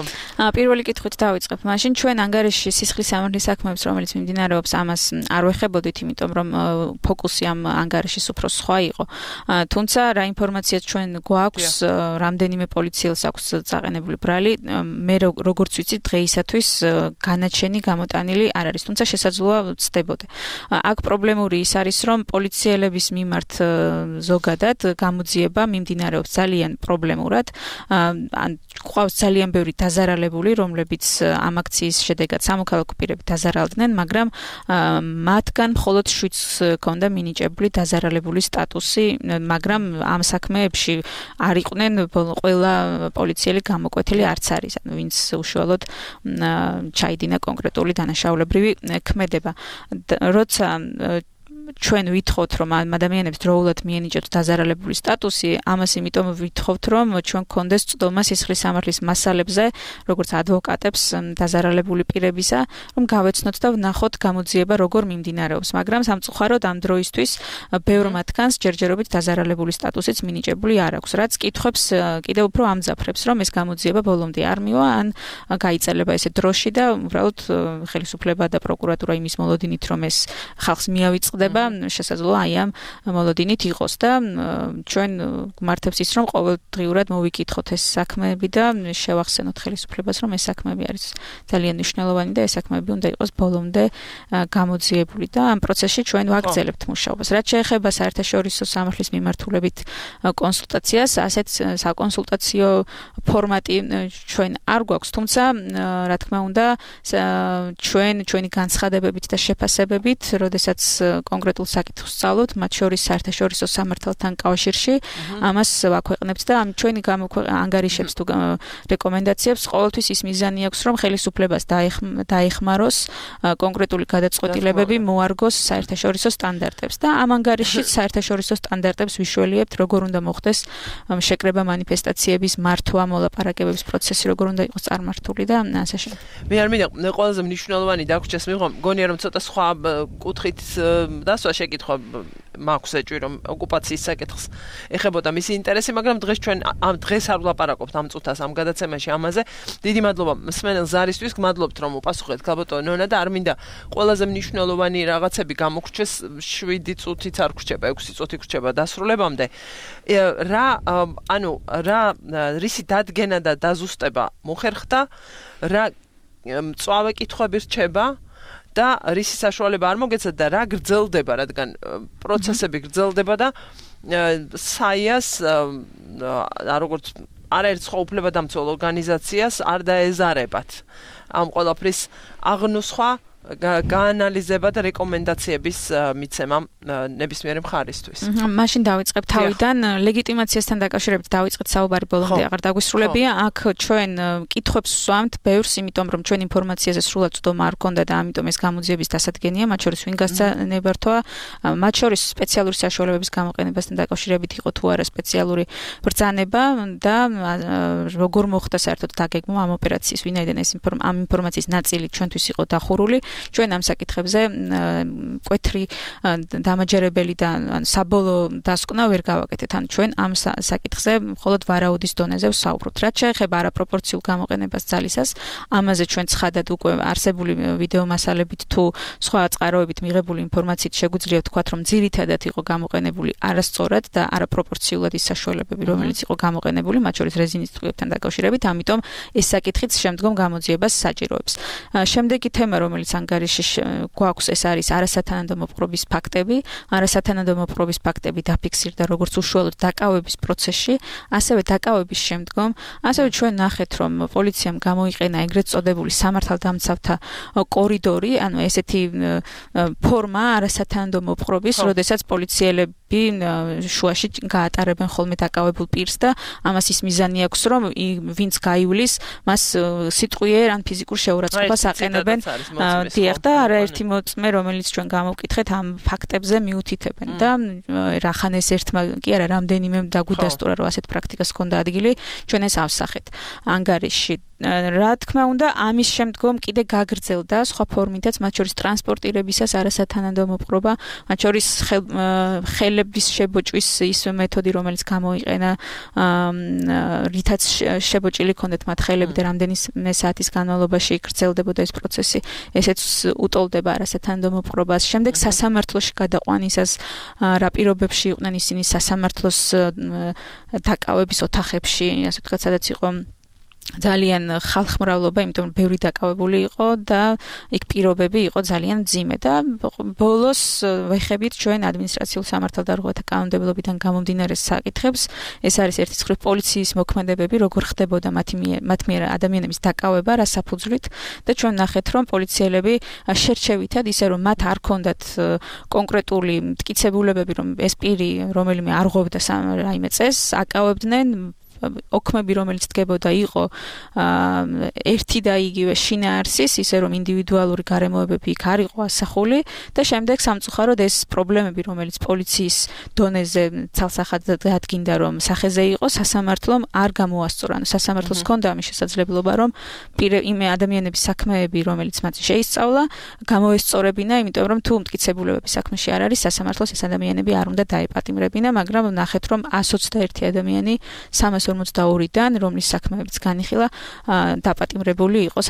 პირველი კითხვით დავიწყებ მაშინ ჩვენ ანგარიშში სისხლის სამართლის საქმეებს რომელიც მიმდინარეობს ამას არ ვეხებოდით იმიტომ რომ ფოკუსი ამ ანგარიშის უფრო სხვა იყო თუმცა რა ინფორმაციაც ჩვენ გვაქვს რამდენიმე პოლიციელს აქვს წაყენებული ბრალი მე როგორც ვიცი დღეისათვის განაჩენი გამოტანილი არ არის თუმცა შესაძლოა ვცდებოდე აქ პრობლემური ის არის რომ პოლიციელების მიმართ ზოგადად გამოძიება მიმდინარეობს ძალიან პრობლემურად ან ყავს ძალიან ბევრი დაზარალებული რომლებიც ამ აქციის შედეგად სამოქალაქო პირები დაზარალდნენ მაგრამ მათგან მხოლოდ შვიდს ჰქონდა მინიჭებული დაზარალებული სტატუსი მაგრამ ამ საქმეებში არ იყვნენ ყველა პოლიციელი გამოკვეთილი არც არის ანუ ვინც უშუალოდ ჩაიდინა კონკრეტული დანაშაულებრივი ქმედება როცა ჩვენ ვითხოვთ რომ ამ ადამიანებს დროულად მიენიჭოთ დაზარალებული სტატუსი, ამას იმიტომ ვითხოვთ რომ ჩვენ გქონდეს წვდომა სისხლის სამართლის მასალებზე, როგორც ადვოკატებს დაზარალებული პირებისა, რომ გავეცნოთ და ვნახოთ გამოძიება როგორ მიმდინარეობს, მაგრამ სამწუხაროდ ამ დროისთვის ბევრ მათგანს ჯერჯერობით დაზარალებული სტატუსიც მინიჭებული არ აქვს, რაც კითხვებს კიდევ უფრო ამძაფრებს, რომ ეს გამოძიება ბოლომდე არ მივა, ან გაიწელება ესე დროში და უბრალოდ ხელისუფლება და პროკურატურა იმის მოლოდინით რომ ეს ხალხს მიავიწყდება განცხადება შესაძლოა აი ამ მოლოდინით იყოს და ჩვენ გვმართებს ის რომ ყოველდღიურად მოვიკითხოთ ეს საქმეები და შევახსენოთ ხელისუფლებას რომ ეს საქმეები არის ძალიან მნიშვნელოვანი და ეს საქმეები უნდა იყოს ბოლომდე გამოძიებული და ამ პროცესში ჩვენ ვაგრძელებთ მუშაობას. რაც შეეხება საერთაშორისო სამართლის მიმართულებით კონსულტაციას, ასეთ საკონსულტაციო ფორმატი ჩვენ არ გვაქვს, თუმცა რა თქმა უნდა ჩვენ ჩვენი განცხადებებით და შეფასებებით, როდესაც კონკრეტულ საკითხს ვსწავლობთ, მათ შორის საერთაშორისო სამართალთან კავშირში, ამას ვაქვეყნებთ და ამ ჩვენი ანგარიშებს თუ რეკომენდაციებს ყოველთვის ის მიზანი აქვს, რომ ხელისუფლებას დაეხმაროს კონკრეტული გადაწყვეტილებები მოარგოს საერთაშორისო სტანდარტებს და ამ ანგარიშში საერთაშორისო სტანდარტებს ვიშველიებთ, როგორ უნდა მოხდეს შეკრება მანიფესტაციების მართვა, მოლაპარაკებების პროცესი, როგორ უნდა იყოს წარმართული და ასე შემდეგ. მე არ მინდა ყველაზე მნიშვნელოვანი დაგვრჩეს მიღო, მგონია რომ ცოტა სხვა კუთხით დასვა შეკითხვა მაქვს ეჭვი რომ ოკუპაციის საკითხს ეხებოდა მისი ინტერესი, მაგრამ დღეს ჩვენ ამ დღეს არ ვლაპარაკობთ ამ წუთას ამ გადაცემაში ამაზე. დიდი მადლობა მსმენელ ზარისთვის, გმადლობთ რომ უპასუხეთ ქალბატონო ნონა და არ მინდა ყველაზე მნიშვნელოვანი რაღაცები გამოგრჩეს შვიდი წუთით არ გრჩება, ექვსი წუთი გრჩება დასრულებამდე. რა ანუ რა რისი დადგენა და დაზუსტება მოხერხდა, რა მწვავე კითხვები რჩება და რისი საშუალება არ მოგეცათ და რა გრძელდება, რადგან პროცესები გრძელდება და საიას როგორც არაერთ სხვა უფლებადამცველ ორგანიზაციას არ დაეზარებათ ამ ყველაფრის აღნუსხვა, გაანალიზება და რეკომენდაციების მიცემა ნებისმიერ მხარისთვის. მაშინ დავიწყებ თავიდან ლეგიტიმაციასთან დაკავშირებით დავიწყეთ საუბარი ბოლომდე აღარ დაგვისრულებია. აქ ჩვენ კითხვებს ვსვამთ ბევრს, იმიტომ რომ ჩვენ ინფორმაციაზე სრულად წვდომა არ გქონდა და ამიტომ ეს გამოძიების დასადგენია, მათ შორის ვინ გასცა ნებართვა, მათ შორის სპეციალური საშუალებების გამოყენებასთან დაკავშირებით იყო თუ არა სპეციალური ბრძანება და როგორ მოხდა საერთოდ დაგეგმვა ამ ოპერაციის, ვინაიდან ეს ამ ინფორმაციის ნაწილი ჩვენთვის იყო დახურული. ჩვენ ამ საკითხებზე კვეთრი დამაჯერებელი და საბოლოო დასკვნა ვერ გავაკეთეთ. ან ჩვენ ამ საკითხზე მხოლოდ ვარაუდის დონეზე ვსაუბრობთ. რაც შეეხება არაპროპორციულ გამოყენებას ძალისას, ამაზე ჩვენ ცხადად უკვე არსებული ვიდეო მასალებით თუ სხვა წყაროებით მიღებული ინფორმაციით შეგვიძლია ვთქვათ, რომ ძირითადად იყო გამოყენებული არასწორად და არაპროპორციულად ის საშუალებები, რომელიც იყო გამოყენებული, მათ შორის რეზინის წყვილებთან დაკავშირებით, ამიტომ ეს საკითხიც შემდგომ გამოძიებას საჭიროებს. შემდეგი თემა, რომელიც ანგარიში გვაქვს, ეს არის არასათანადო მოპყრობის ფაქტები. არასათანადო მოპყრობის ფაქტები დაფიქსირდა როგორც უშუალოდ დაკავების პროცესში, ასევე დაკავების შემდგომ, ასევე ჩვენ ნახეთ, რომ პოლიციამ გამოიყენა ეგრეთ წოდებული სამართალდამცავთა კორიდორი, ანუ ესეთი ფორმა არასათანადო მოპყრობის, როდესაც პოლიციელები შუაში გაატარებენ ხოლმე დაკავებულ პირს და ამას ის მიზანი აქვს, რომ ვინც გაივლის, მას სიტყვიერ ან ფიზიკურ შეურაცხყოფას აყენებენ. დიახ და არაერთი მოწმე, რომელიც ჩვენ გამოვკითხეთ, ამ ფაქტებზე მიუთითებენ და რახან ეს ერთმა კი არა, რამდენიმე დაგვიდასტურა, რომ ასეთ პრაქტიკას ჰქონდა ადგილი, ჩვენ ეს ავსახეთ ანგარიში. რა თქმა უნდა, ამის შემდგომ კიდე გაგრძელდა სხვა ფორმითაც, მათ შორის ტრანსპორტირებისას არასათანადო მოპყრობა, მათ შორის ხელების შებოჭვის ის მეთოდი, რომელიც გამოიყენა, რითაც შებოჭილი ჰქონდათ მათ ხელები და რამდენიმე საათის განმავლობაში გრძელდებოდა ეს პროცესი, ესეც უტოლდება არასათანადო მოპყრობას. შემდეგ სასამართლოში გადაყვანისას რა პირობებში იყვნენ ისინი სასამართლოს დაკავების ოთახებში, ასე ვთქვათ, სადაც იყო ძალიან ხალხმრავლობა, იმიტომ რომ ბევრი დაკავებული იყო და იქ პირობები იყო ძალიან მძიმე და ბოლოს ვეხებით ჩვენ ადმინისტრაციულ სამართალდარღვევათა კანონმდებლობიდან გამომდინარე საკითხებს. ეს არის ერთი მხრივ პოლიციის მოქმედებები, როგორ ხდებოდა მათი მათ მიერ ადამიანების დაკავება, რა საფუძვლით და ჩვენ ნახეთ, რომ პოლიციელები შერჩევითად ისე რომ მათ არ ჰქონდათ კონკრეტული მტკიცებულებები, რომ ეს პირი რომელიმე არ ღვევდა რაიმე წესს, აკავებდნენ ოქმები, რომელიც დგებოდა, იყო ერთი და იგივე შინაარსის, ისე რომ ინდივიდუალური გარემოებები იქ არ იყო ასახული და შემდეგ სამწუხაროდ ეს პრობლემები, რომელიც პოლიციის დონეზე ცალსახად დადგინდა, რომ სახეზე იყო, სასამართლომ არ გამოასწორა. ანუ სასამართლოს ჰქონდა ამის შესაძლებლობა, რომ იმ ადამიანების საქმეები, რომელიც მათ შეისწავლა, გამოესწორებინა, იმიტომ რომ თუ მტკიცებულებები საქმეში არ არის, სასამართლოს ეს ადამიანები არ უნდა დაეპატიმრებინა, მაგრამ ნახეთ, რომ ას ოცდაერთი ადამიანი სამას ორმოცდაორიდან, რომლის საქმეებიც განიხილა, დაპატიმრებული იყო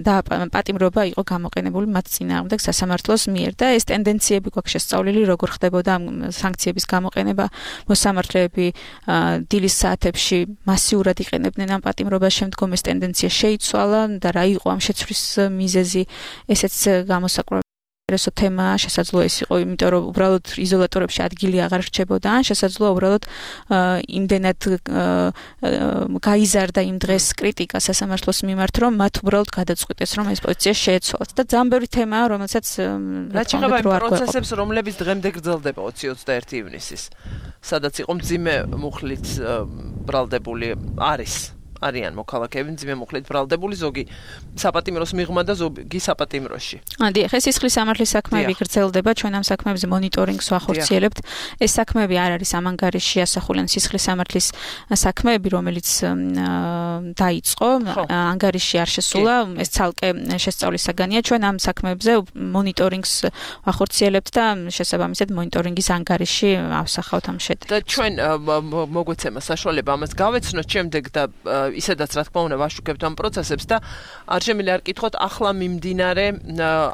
და პატიმრობა იყო გამოყენებული მათ წინააღმდეგ სასამართლოს მიერ და ეს ტენდენციები გვაქვს შესწავლილი, როგორ ხდებოდა სანქციების გამოყენება, მოსამართლეები დილის საათებში მასიურად იყენებდნენ ამ პატიმრობას, შემდგომ ეს ტენდენცია შეიცვალა და რა იყო ამ შეცვლის მიზეზი, ესეც გამოსაკვლევი ესო თემა შესაძლოა ის იყო, იმიტომ რომ უბრალოდ იზოლატორებში ადგილი აღარ რჩებოდა, ან შესაძლოა უბრალოდ იმდენად გაიზარდა იმ დღეს კრიტიკა სასამართლოს მიმართ, რომ მათ უბრალოდ გადაწყვიტეს, რომ ეს პოზიცია შეეცვალათ და ძალიან ბევრი თემაა, რომელსაც რაც შეეხება იმ პროცესებს, რომლებიც დღემდე გრძელდება ოცი ოცდაერთი ივნისის, სადაც იყო მძიმე მუხლით ბრალდებული არის არიან მოქალაქეები მძიმე მუხლით ბრალდებული, ზოგი საპატიმროს მიღმა და ზოგი საპატიმროში. დიახ, ეს სისხლის სამართლის საქმეები გრძელდება, ჩვენ ამ საქმეებზე მონიტორინგს ვახორციელებთ. ეს საქმეები არ არის ამ ანგარიშში ასახულენ სისხლის სამართლის საქმეები, რომელიც დაიწყო, ანგარიშში არ შესულა, ეს ცალკე შესწავლის საგანია. ჩვენ ამ საქმეებზე მონიტორინგს ვახორციელებთ და შესაბამისად მონიტორინგის ანგარიში ავსახავთ ამ შედეგს. და ჩვენ მოგვეცემა საშუალება ამას გავეცნოთ შემდეგ და ისედაც რა თქმა უნდა ვაშუქებთ ამ პროცესებს და არ შემიძლია არ კითხოთ ახლა მიმდინარე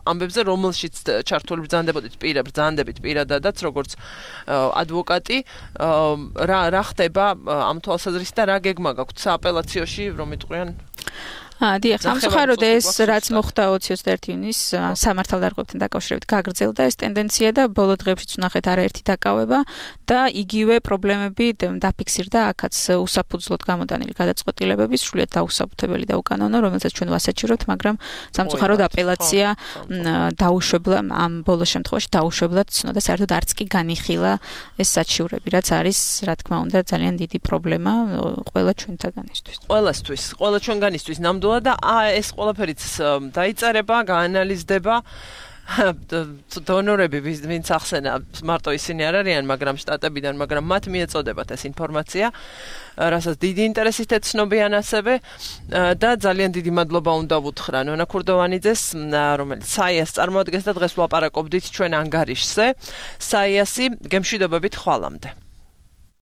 ამბებზე, რომელშიც ჩართული ბრძანდებოდით პირად, ბრძანდებით პირადადაც, როგორც ადვოკატი, რა რა ხდება ამ თვალსაზრისით და რა გეგმა გაქვთ სააპელაციოში, რომ იტყვიან? დიახ, სამწუხაროდ ეს რაც მოხდა ოცი ოცდაერთი ივნის სამართალდარღვევებთან დაკავშირებით გაგრძელდა ეს ტენდენცია და ბოლო დღეებშიც ვნახეთ არაერთი დაკავება და იგივე პრობლემები დაფიქსირდა აქაც უსაფუძვლოდ გამოდანილი გადაწყვეტილებები, სრულიად დაუსაბუთებელი და უკანონო, რომელსაც ჩვენ ვასაჩივრებთ, მაგრამ სამწუხაროდ აპელაცია დაუშვებლა ამ ბოლო შემთხვევაში დაუშვებლად ცნო და საერთოდ არც კი განიხილა ეს საჩივრები, რაც არის, რა თქმა უნდა, ძალიან დიდი პრობლემა ყველა ჩვენთაგანისთვის. ყველასთვის, ყველა ჩვენგანისთვის ნამდვილად და ეს ყველაფერიც დაიწერება, გაანალიზდება. დონორები ვინც ახსენა, მარტო ისინი არ არიან, მაგრამ შტატებიდან, მაგრამ მათ მიეწოდებათ ეს ინფორმაცია, რასაც დიდი ინტერესით ეცნობიან ასევე და ძალიან დიდი მადლობა უნდა ვუთხრა ნონა ქურდოვანიძეს, რომელიც საიას წარმოადგენს და დღეს ვლაპარაკობდით ჩვენ ანგარიშზე. საიასი, გემშვიდობებით ხვალამდე.